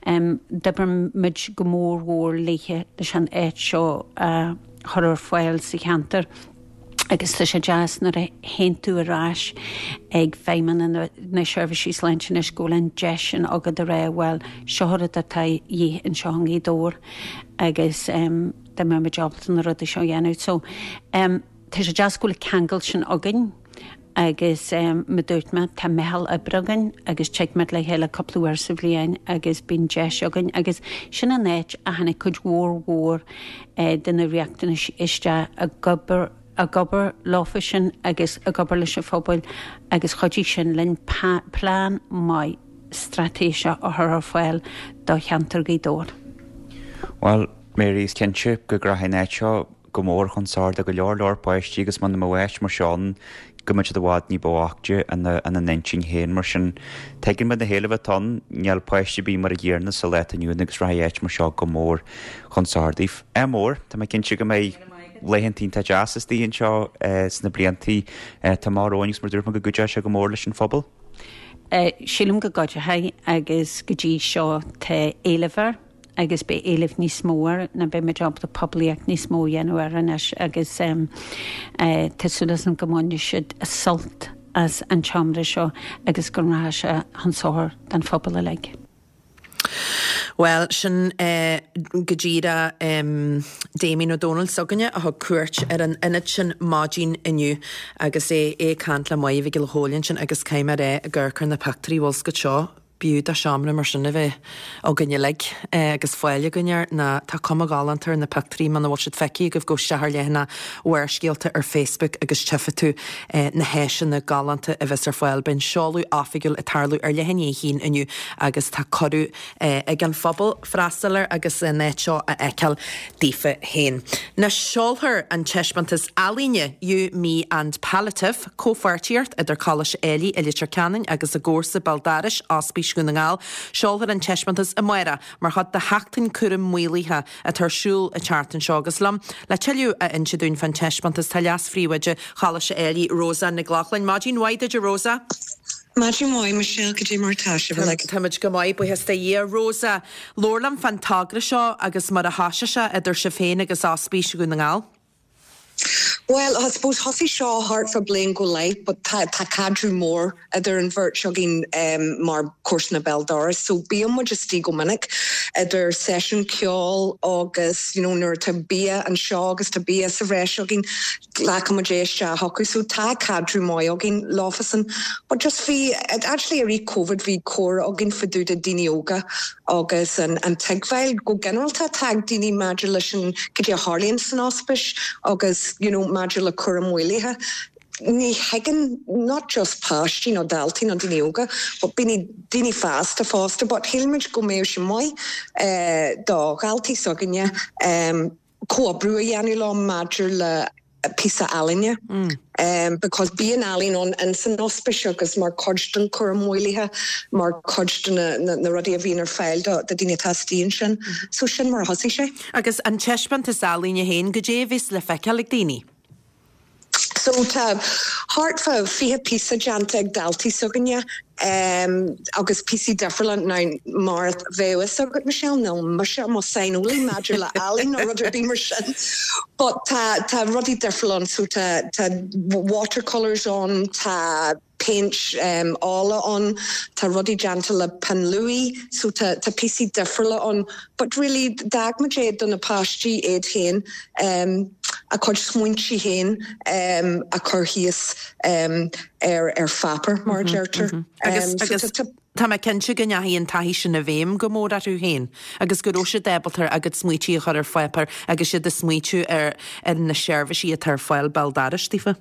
D'oibir muid go mór mhór léithe leis an áit seo a chur ar fáil sa cheantar. Agus tá sé deas nuair a théann tú ar ais ag feidhmeanna na seirbhísí sláinte anois go bhfuil an deis sin agat a rá bhuel seo rud atá de dhíth anseo i nGaoth Dobhair agus dá mbeadh muid ábalta na rudaí seo a dhéanamh. So tá sé deas go bhfuil an ceangal sin againn agus mar dúirt mé tá meitheal oibre againn agus tig muid le chéile cúpla uair sa bhliain agus bíonn deis againn agus sin an áit a tháinig cuid mhór mhór de na riachtanais isteach ag obair ag obair leofa sin agus ag obair leis an phobal agus chuidigh sin linn plean maith straitéiseach a chur ar fáil do cheantar Ghaoth Dobhair. Bhuel, Mary, is cinnte go rachaidh an áit seo go mór chun sochair do go leor leor páistí agus muna mbeadh áit mar seo ann go mbeadh siad i bhfad ní ba bhoichte ina n-intinn féin. Mar sin, tuigeann muid na héilimh atá ann, níl páiste ar bith mar an gcéanna sa lá atá inniu ann agus rachaidh áit mar seo go mór chun sochair daoibh. Ádh mór, tá mé cinnte go mbeidh Laethanta iontach deas istigh anseo sna bliantaí atá amach romhainn agus mar dúirt mé go gcuideoidh sé go mór leis an phobal. Sílim go gcuideoidh agus go dtí seo tá éileamh air agus beidh éileamh níos mó air ná beidh muid ábalta poiblíocht níos mó a dhéanamh air anois agus tá súil agam go mbainfidh siad sult as an tseomra seo agus go rachaidh sé chun sochair don phobal uilig. Bhuel, sin go díreach Damien Ó Dónaill s'againne a thug cuairt ar an ionad sin maidin inniu agus é ag caint le Máire Mhic Giolla Chóill ansin agus caithfidh mé a rá ag amharc ar na pictiúirí bhfuil 's agat seo b'fhiú do seomra mar sin a bheith againn uilig agus fáil againn air ná tá cuma ghalánta ar na pictiúirí muna bhfuil siad feicthe agaibh gabh isteach ar leathanach Bharrscéalta ar Facebook agus tchífidh tú na háiseanna galánta a bheas ar fáil. Beidh an seoladh oifigiúil ag tarlú ar leath i ndiaidh a haon inniu agus tá cuireadh ag an phobal freastal air agus an áit seo a fheiceáil daofa féin. Anois seolfar an taispeántas ealaíne You, Me and Palliative, comhpháirtíocht idir Coláiste Éilí i Leitir Ceanainn agus a gcomharsa béal dorais, Ospís Dhún na nGall. Seolfar an taispeántas amárach mar chuid de Sheachtain Cúram Maolaithe atá ar siúl an tseachtain seo agus liom le tuilleadh a inse dúinn fán taispeántas tá leas-phríomhoide Choláiste Éilí, Rosa Nic Lochlainn. Maidin mhaith duit a Rosa. Maidin mhaith, Michelle, cad é mar atá sibh uilig? Táimid go maith, buíochas do Dhia. Rosa, labhair liom fán togra seo agus mar a thosaigh sé idir sibh féin agus Ospís Dhún na nGall. Bhuel, I suppose thosaigh seo thart fá bliain go leith, but tá tá caidreamh mór idir an bheirt againn um, mar comharsana béal dorais, so bíonn muid istigh go minic idir seisiún ceoil agus you know, nuair atá bia anseo agus tá bia sa bhreis againn glacann muid é isteach acu, so tá caidreamh maith againn leofasan. But just bhí actually i rith COVID bhí comhrá againn fá dtaobh de daoine óga agus an, an tuigbheáil go ginearálta atá ag daoine maidir leis an cad é a tharlaíonn san ospís agus you know, maidir le cúram maolaithe. Ní thuigeann not just páistí nó daltaí nó daoine óga, but daoine daoine fásta fosta, but shíl muid go mbeadh sé maith eh, do dhaltaí s'againne um, comhoibriú a dhéanamh leo maidir le píosa ealaíne. Mm. Um, because bíonn ealaín ann in san ospís agus mar chuid den chúram maolaithe mar chuid de na, na, na rudaí a bhíonn ar fáil do do daoine atá istigh ansin. Mm. So sin mar a thosaigh sé. Agus an taispeántas ealaíne féin cad é a bheas le feiceáil ag daoine. So tá thart fá fiche píosa déanta ag daltaí s'againne um, agus píosaí difriúla ná mar bheadh fhios agat Michelle nó mise mo saineolaí maidir le ealaín nó rud ar bith mar sin. But tá tá rudaí difriúla ann so tá tá watercolors ann, tá paint um, ola ann, tá rudaí déanta le pinn luaidhe, so tá tá píosaí difriúla ann, but really d'fhág muid é do na páistí iad féin um, a cuid smaointe féin um, a chur síos um, ar ar pháipéar mar a mhm, deirtear. Mhm. Agus um, agus so tá mé cinnte go ndeachaigh an taithí sin i bhfeidhm go mór orthu féin, agus go raibh siad ábalta a gcuid smaointe a chur ar pháipéar agus siad ag smaointiú ar ar na seirbhísí atá ar fáil béal dorais daofa.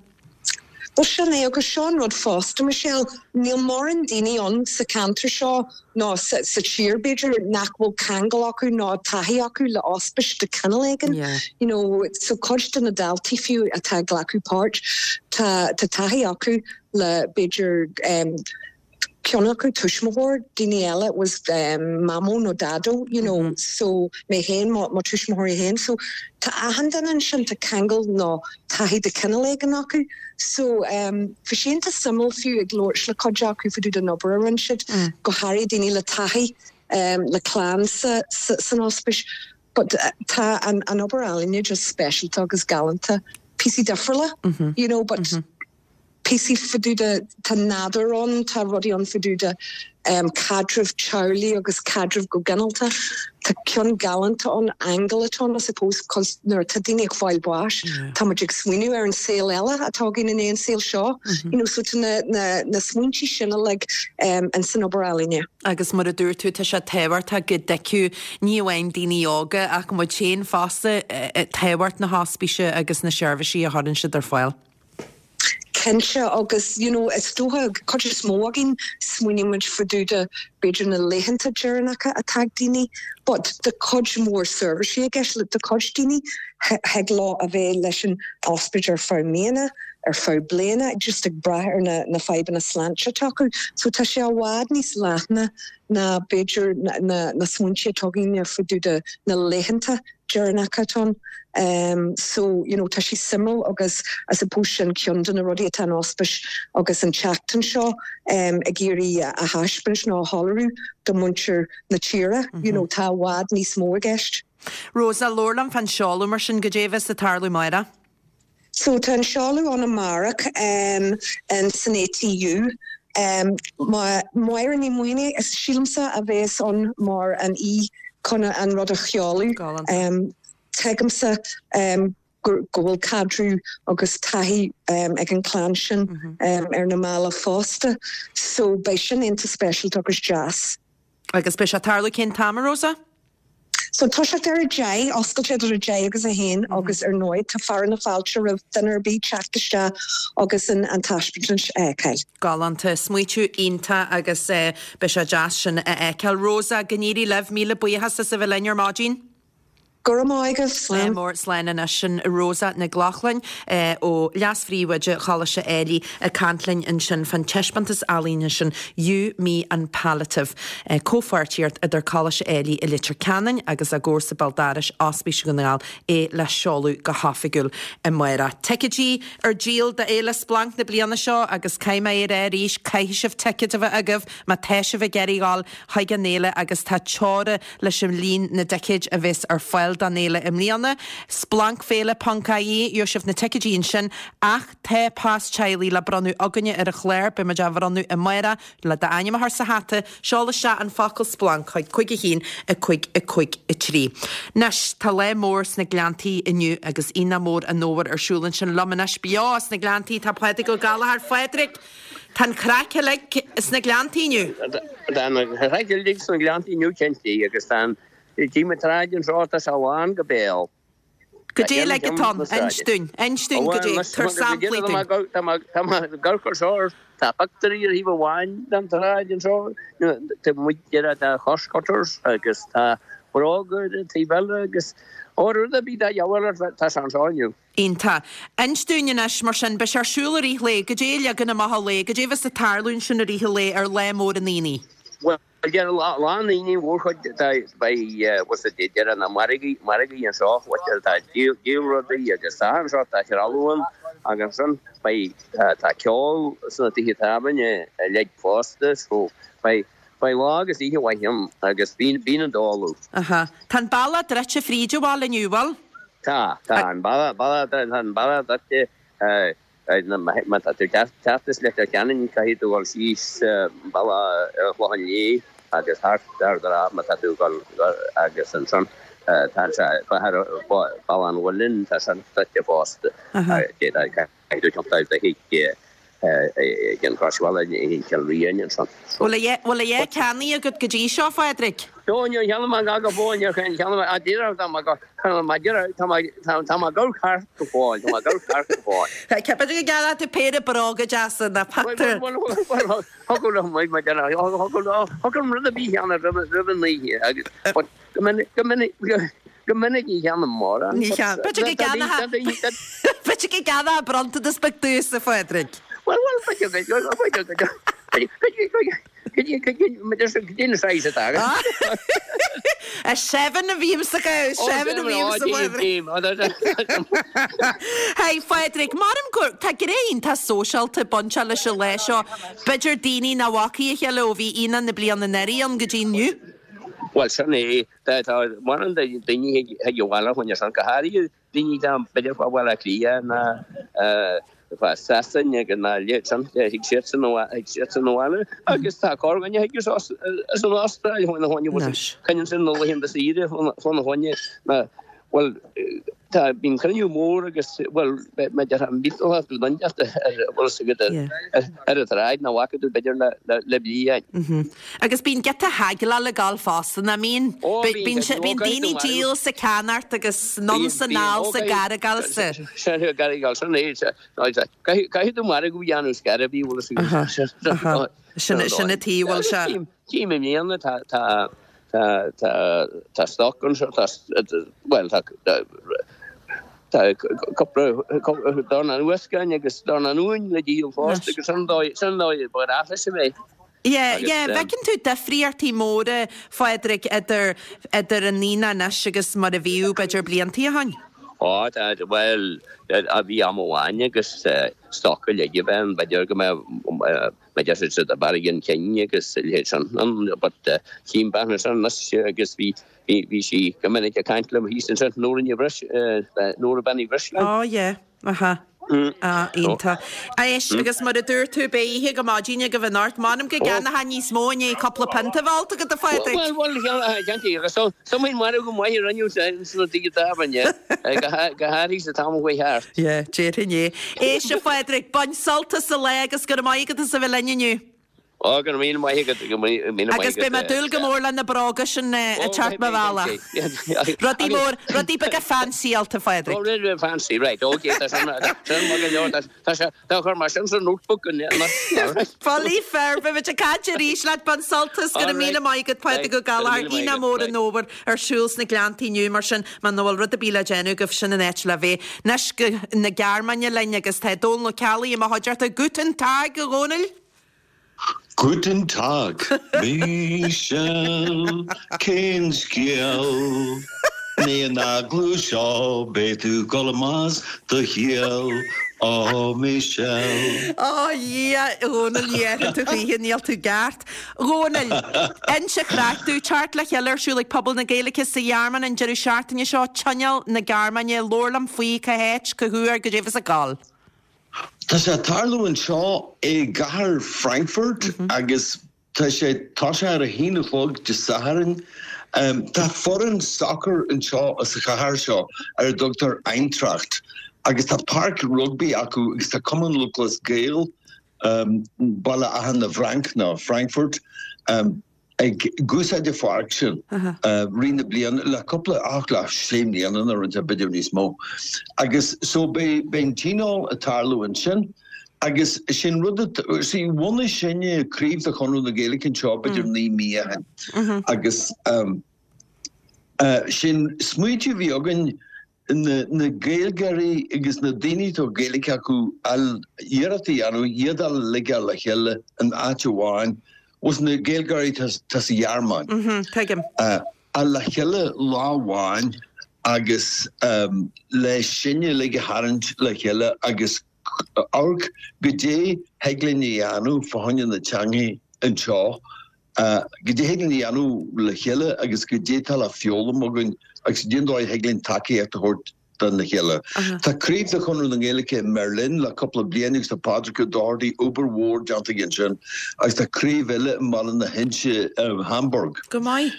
Well sin é agus seo an rud fosta Michelle, níl mórán daoine ann sa cheantar seo ná sa, sa tír b'fhéidir nach bhfuil ceangal acu ná taithí acu le hospís de chineál éigin. Yeah. You know, so cuid de na daltaí fiú atá ag glacadh páirt tá tá taithí acu le b'fhéidir um, ceann acu tuismitheoir daoine eile was um, mamó nó dado you know mm -hmm. so mé féin mo mo tuismitheoirí féin so tá achan duine ansin tá ceangal nó taithí de chineál éigin acu so um, bhí sé iontach suimiúil fiú ag labhairt le cuid acu fá dtaobh den obair a rinne siad mm. go háirithe daoine le taithí um, le clann sa, sa, san ospís but uh, tá an, an obair ealaíne just speisialta agus galánta píosaí difriúla mm -hmm. you know but mm -hmm. píosaí fá dtaobh de tá nádúr ann tá rudaí ann fá dtaobh de um, caidreamh teaghlaigh agus caidreamh go ginearálta. Tá ceann galánta ann aingeal atá I suppose cos nuair tá daoine ag fáil bháis Tá muid ag smaoineamh ar an saol eile atá againn in aon saol seo mm -hmm. you know, so tá na, na, na smaointe sin like, um, an san obair ealaíne. Agus mar a dúirt tú tá sé tábhachtach go dtuigfeadh ní amháin daoine óga ach muid féin fosta tábhacht na hospíse agus na seirbhísí a chuireann siad ar fáil. Cinnte agus you know, is dócha cuid is mó againn smaoinímid fá dtaobh de b'fhéidir na laethanta deireanacha atá ag daoine, but tá cuid mór seirbhísí i gceist le do chuid daoine thig leo a bheith leis an ospidéal ar feadh míonna, ar feadh bliana, just ag brath ar na, na fadhbanna sláinte atá acu. So tá sé i bhfad níos leithne ná b'fhéidir na, na, na smaointe atá againn fá dtaobh de na laethanta deireanach atá ann. Um, so you know, tá sé suimiúil agus I suppose sin ceann de na rudaí atá an ospís agus an tseachtain seo um, ag iarraidh a, a thaispeáint nó a shoiléiriú do mhuintir na tíre, mm -hmm. you know, tá i bhfad níos mó i gceist. Rosa labhair liom fán seoladh mar sin goidé a bheas ag tarlú amárach. So tá an seoladh ann amárach um, in san ATU. Um, Máire Ní Mhaonaigh is sílimse a bheas ann mar an aoi chun an rud a sheoladh. Um, Tuigimse um, go bhfuil caidreamh agus taithí um, ag an clann sin mm -hmm. um, ar na mallaibh fosta, so beidh sin iontach speisialta agus deas. Agus beidh sé ag tarlú cén t-am Rosa? So tá sé ar a deich oscailte idir a deich agus a haon mm -hmm. agus ar ndóigh tá fearadh na fáilte roimh duine ar bith teacht isteach agus an, an taispeántas a fheiceáil. Galánta smaoineamh iontach agus eh, beidh sé deas sin a fheiceáil. Rosa go n-éirí libh míle buíochas as a bheith linn ar maidin. Go raibh maith agat Slán mór slán anois sin Rosa Nic Lochlainn eh, ó leas-phríomhoide Choláiste Ailigh ag caint linn ansin fán taispeántas ealaíne sin You, Me and Palliative. Eh, Comhpháirtíocht idir Coláiste Ailigh i Leitir Ceanainn agus a gcomharsa béal dorais Ospís Dhún na nGall é le seoladh go hoifigiúil amárach. Ticéidí ar díol d'Fhéile Splanc na bliana seo agus caithfidh mé a rá arís caithfidh sibh ticéid a bheith agaibh má tá sibh ag iarraidh dul chuig an fhéile agus tá teora leis an líon na dticéid a bheas ar fáil don fhéile i mbliana. Splancféile ponc ie gheobhaidh sibh na ticéidí ansin ach tá pas teaghlaigh le bronnadh againne ar an chlár beimid á bhronnadh amárach le d'ainm a chur sa hata seol isteach an focal splanc chuig cúig a haon a cúig a cúig a trí. Anois tá lá mór sna Gleanntaí inniu agus Aonach Mór an Fhómhair ar siúl ansin liom anois beo sna Gleanntaí tá Pádraig Ó Gallchóir Phádraig Tá an chraic uilig sna Gleanntaí inniu. Tá an chraic uilig sna Gleanntaí inniu cinnte agus tá Tí an tsráid anseo tá sé lán go béal. Goidé le atá inis dúinn, inis dúinn goidé tabhair samplaí dúinn. Tá gar seo tá pictiúirí ar thaobh amháin den tsráid anseo tá muid tá Costcutters agus tá bróga ar an taobh eile agus ó rud ar bith de dhíobháil tá sé anseo inniu. Iontach. Inis dúinn anois mar sin, beidh sé ar siúl i rith an lae, goidé a leagan amach an lae, goidé a bheas ag tarlú ansin i rith an lae ar lá mór an aonaigh. Bhuel, Ar lá an aonaigh mhórchuid beidh what's it deireadh na margaí margaí anseo what tá díol díol rudaí agus tá anseo tá trealamh ann agus ansin beidh tá ceol sna tithe tábhairne uilig fosta so beidh beidh lá agus oíche mhaith ann agus bíonn bíonn an dól ann. Aha. Tá an bealach druidte fríd an bhaile inniu, bhfuil? Tá, tá an bealach bealach tá an bealach druidte Má tá tú ag teacht as Leitir Ceanainn caithfidh tú dul síos bealach an Chlocháin Léith agus thart ar má tá tú ag dul agus ansan tá sé Bealach an Mhuilinn tá san druidte fosta. Caithfidh tú tiontú do chuig ag an Chroisbhealach i gCill Rímhinn ansan. Bhfuil a dhath ceannaithe agat go dtí seo, a Phádraig? Do níor cheannaigh mé go fóill, níor cheannaigh mé, díreach tá mé tá mé díreach tá mé tá mé ag gabháil thart go fóill, tá mé ag gabháil thart go fóill. B'fhéidir go gceannóidh tú péire bróga deasa ná pictiúr. Bhuel, bhuel, bhuel, bhuel, thiocfadh liom, mar deir, thiocfadh liom, thiocfadh liom rud ar bith a cheannach roimh roimh an oíche agus but go minic, go minic, go minic ní cheannaím mórán. Ní cheann, b'fhéidir go gceannófá, b'fhéidir go gceannófá bronntanas beag domhsa, a Phádraig. Bhuel, bhuel, b'fhéidir go, b'fhéidir go, go, go, Cad é an saghas atá agat? A seven a bhímse go, seven a bhímse Hey Phádraig, maram gur tá gné iontach sóisialta bainteach leis an lá seo. B'fhéidir daoine nach bhfacaí a chéile ó bhí aonach na bliana anuraidh ann go dtí inniu. Bhuel sin é, tá mórán daoine chuig an bhaile chugainn ansan, go háirithe daoine atá b'fhéidir fá Bhaile Átha Cliath ná fá Sasain agus na leithéid thig siadsan thig siadsan abhaile agus tá corrdhuine a thig as as an Astráil fána choinne coinníonn sin na laethanta saoire fána choinne ná bhuel tá bíonn cruinniú mór agus bhuel má déarfá millteanach tú duindeacht ar bhfuil fhios agat ar ar an tsráid nach bhfaca tú b'fhéidir le le le bliain. Agus bíonn giota haggleáil ag gabháil fosta, nach mbíonn? Ó bíonn, Bíonn bíonn daoine ag díol 's ag ceannacht agus anonn 's anall 's ag argáil 's. Sin ag argáil sin é. Caithfidh tú margadh a dhéanamh scor ar bith, bhfuil fhios agat. Sin sin an taobh bhfuil sé. Tchím i mbliana tá tá tá tá tá stoc anseo tá bhuel tá tá cúpla dornán uascáin agus dornán uain le díol fosta agus sin an dóigh sin an dóigh ba ghnách leis a bheith. Yeah, yeah, bhfeiceann tú difríochtaí móra, Phádraig, idir idir an ndaoine anois agus mar a bhíodh b'fhéidir bliantaí ó shoin? Ó, tá, bhuel, a bhí am amháin agus stoc uilig a bheith ann, b'fhéidir go mbeadh, b'fhéidir siad siad a barraigh an chinn agus a leithéid sin ann, but chím bean ansin anois agus bhí, bhí, bhí sí go minic ag caint liom thíos ansin, Nóra Ní Bhris, Nóra Bean Uí Bhrisleáin. Ó, yeah, aha. Ah, iontach. Éist, agus mar a dúirt tú, beidh oíche go maidin agaibh anocht. M'anam go gceannófá níos mó i ndiaidh cúpla pionta a bheith ólta agat, a Phádraig. Bhuel, bhuel, cheannaigh, agus so, somaíonn marbh go maith a rinneadh sna daoine tábhairne, go háirithe sa t-am a chuaigh thart. Yeah, déarfainn é. Éist, a Phádraig, bain sult as an lá agus go raibh maith agat as a bheith linn inniu. Ó, go raibh míle maith agat, go raibh míle maith Agus agat. beidh mé ag dúil go mór le na bróga sin ag teacht mo bhealach. Rudaí mór, rudaí beaga fancyáilte, a Phádraig. Ó, rudaí beaga fancy, right, ok, tá sin, sin maith go leor, tá, tá sé, tá chur mar sin sa notebook an, alright. Bulaí fir, beidh muid ag caint arís leat, bain sult as, go raibh míle maith agat, Pádraig Ó Gallchóir, Aonach Mór an Fhómhair ar siúl sna Gleanntaí inniu, mar sin, muna bhfuil rud ar bith le déanamh agaibh, sin an áit le bheith. Anois go na Gearmáine linn agus tá Dónal Ó Ceallaigh i mo chuideachta. Guten Tag, a Dhónaill! Guten Tag, Michelle, cén scéal? Ní an eagla seo, beidh tú ag dul amach as do chiall, oh Michelle. Ó a Dhia, a Dhónaill, ní déarfainn tú choíche, níl tú ceart. A Dhónaill, inis an chraic domh, teacht le chéile ar siúl ag pobal na Gaeilge sa Ghearmáin an deireadh seachtaine seo, Tionól na Gearmáine, labhair liom faoi, cá háit, cá huair, goidé bheas ag gabháil. Tá sé ag tarlú anseo i gcathair Frankfurt agus tá sé tosaithe ar a haon a chlog Dé Sathairn. Tá foireann sacair anseo sa chathair seo ar a dtugtar Eintracht agus tá páirc rugbaí acu agus tá Cumann Lúthchleas Gael Baile Átha na bhFranc nó Frankfurt. ag úsáid an pháirc sin rith na bliana le cúpla ach le sé mbliana nó rud b'fhéidir níos mó. Agus so beidh beidh an tionól ag tarlú ansin agus sin rud a see bhunaigh sinne craobh de Chonradh na Gaeilge anseo b'fhéidir naoi mí ó shin agus sin smaoitiú a bhí againn na na Gaeilgeoirí agus na daoine atá Gaeilge acu iarracht a dhéanamh iad a ligeáil le chéile in áit amháin Bhuel na Gaeilgeoirí tá sa Ghearmáin. Tuigim. A le chéile lá amháin agus le sinne uilig a tharraingt le chéile agus amharc goidé thig linn a dhéanamh fá choinne na teangaidh anseo, goidé thig linn a dhéanamh le chéile agus goidé tá le foghlaim againn agus goidé an dóigh a thig linn tacaíocht a thabhairt dona chéile. Tá craobh de Chonradh na Gaeilge i mBerlin le cúpla bliain agus tá Pádraig Ó Dochartaigh obair mhór déanta aige ansin agus tá craobh eile i mBaile na hInse, Hamburg. Go maith.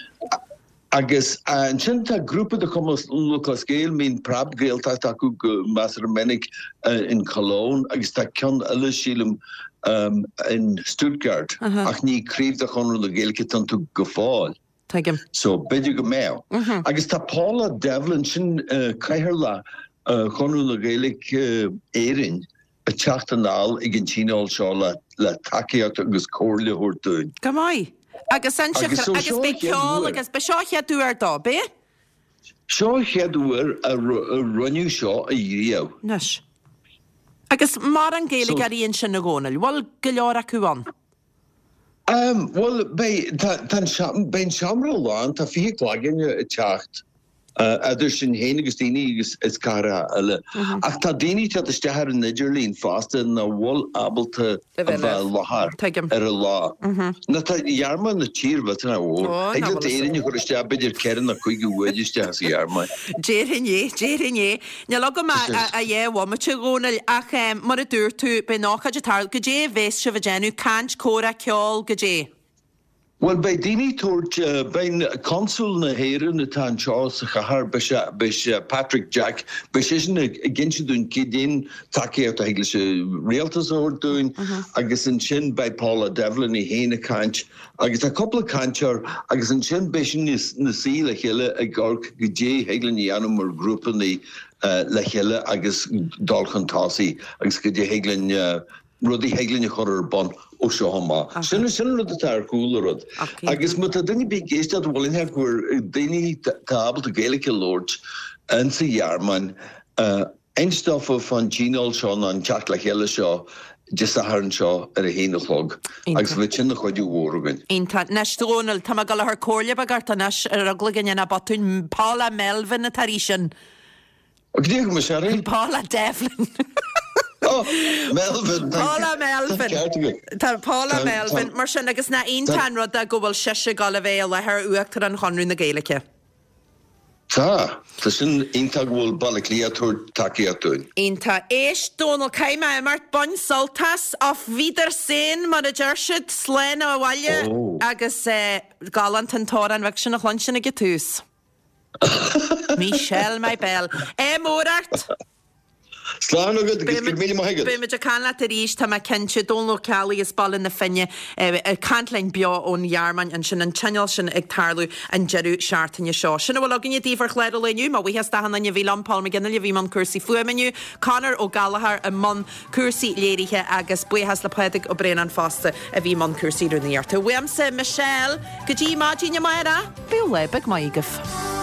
Agus ansin tá grúpa de Chumann Lúthchleas Gael, mbíonn Preab-Ghaeltacht acu go measartha minic in Cologne agus tá ceann eile sílim in Stuttgart ach ní craobh de Chonradh na Gaeilge atá iontu go fóill. Tuigim. So, b'fhéidir go mbeadh. Agus tá Paula Devlin, sin Cathaoirleach Chonradh na Gaeilge Éirinn, ag teacht anall ag an tionól seo le tacaíocht agus comhairle a thabhairt dúinn. Go maith. Agus ansin, Agus so agus seo an beidh chéad ceol uair. agus, beidh seo an chéad uair dó, beidh? Seo an chéad uair a rinneadh seo ariamh. Anois. Agus mórán So. Gaeilgeoirí ansin a Dhónaill, bhfuil go leor acu ann? Bhuel, beidh, tá, tá an seom, beidh an seomra lán, tá fiche cloigne ag teacht, idir sinn féin agus daoine agus as cathracha eile. Ach tá daoine ag teacht isteach ar an idirlíon fosta nach bhfuil ábalta A a bheith bheith i libh. láthair Tuigim. ar an lá. Nó tá an Ghearmáin ina tír mhillteanach mhór. Ó, Thig nach leat bhfuil fhios Éirinn a chur isteach b'fhéidir ceithre nó cúig uair isteach sa Ghearmáin. Déarfainn é, déarfainn é. Níl agam ach a dhá bhomaite, a Dhónaill, ach mar a dúirt tú, beidh an ócáid ag tarlú. Goidé a bheas sibh ag déanamh? Caint, comhrá, ceol, goidé? Bhuel, beidh daoine ag tabhairt, beidh Consúl na hÉireann atá anseo sa chathair, beidh sé, beidh sé, Patrick Jack, beidh seisean ag inse dúinn cén tacaíocht a thig leis an rialtas a thabhairt dúinn agus ansin beidh Paula Devlin í féin ag caint agus tá cúpla cainteoir agus ansin beidh sinn ina suí le chéile ag amharc goidé thig linn a dhéanamh mar ghrúpanna le chéile agus dul chun tosaigh agus goidé thig linn rudaí thig linn a chur ar bun ó seo amach. Sin sin an rud atá ar chúl an rud. Agus má tá duine ar bith ag éisteacht a bhfuil aithne acu ar daoine atá ábalta Gaeilge a labhairt insa Ghearmáin, inis dófa fán tionól seo nó an teacht le chéile seo Dé Sathairn seo ar a haon a chlog agus bheadh sin ina chuidiú mhór againn. Iontach. Anois, a Dhónaill, tá mé ag dul a chur comhairle beag ort anois ar eagla go ndéanfá botún. Paula Melvin atá ar í sin. Go dtí go mba Paula Devlin. Oh, Melvin. Paula Melvin. Tá Paula Melvin mar sin agus nach iontach an rud é go bhfuil sise ag dul a bheith i láthair Uachtarán Chonradh na Gaeilge. Tá, tá sin iontach go bhfuil Baile Átha Cliath ag tabhairt tacaíocht dúinn. Iontach. Éist, Dónal, caithfidh mé imeacht, bain sult as, auf Wiedersehen mar a deir siad, slán abhaile agus galánta an t-amhrán bheag sin a chluinstin ag an tús. Michelle my belle. Ádh mór ort! Slán agat agus go raibh míle maith agat. Beidh muid ag caint leat arís, tá mé cinnte. Dónal Ó Ceallaigh as Baile na Finne ag caint linn beo ón Ghearmáin ansin, an tionól sin ag tarlú an deireadh seachtaine seo. Sin a bhfuil againne daoibh ar chlár an lae inniu. Mo bhuíochas d'achan duine a bhí liom, Paul McGinley a bhí i mbun cúrsaí fuaime inniu, Conor Ó Gallchóir i mbun cúrsaí léirithe agus buíochas le Pádraig Ó Braonáin fosta a bhí i mbun cúrsaí rúnaíochta. Uaimse, Michelle, go dtí maidin amárach, bíodh lá beag maith agaibh.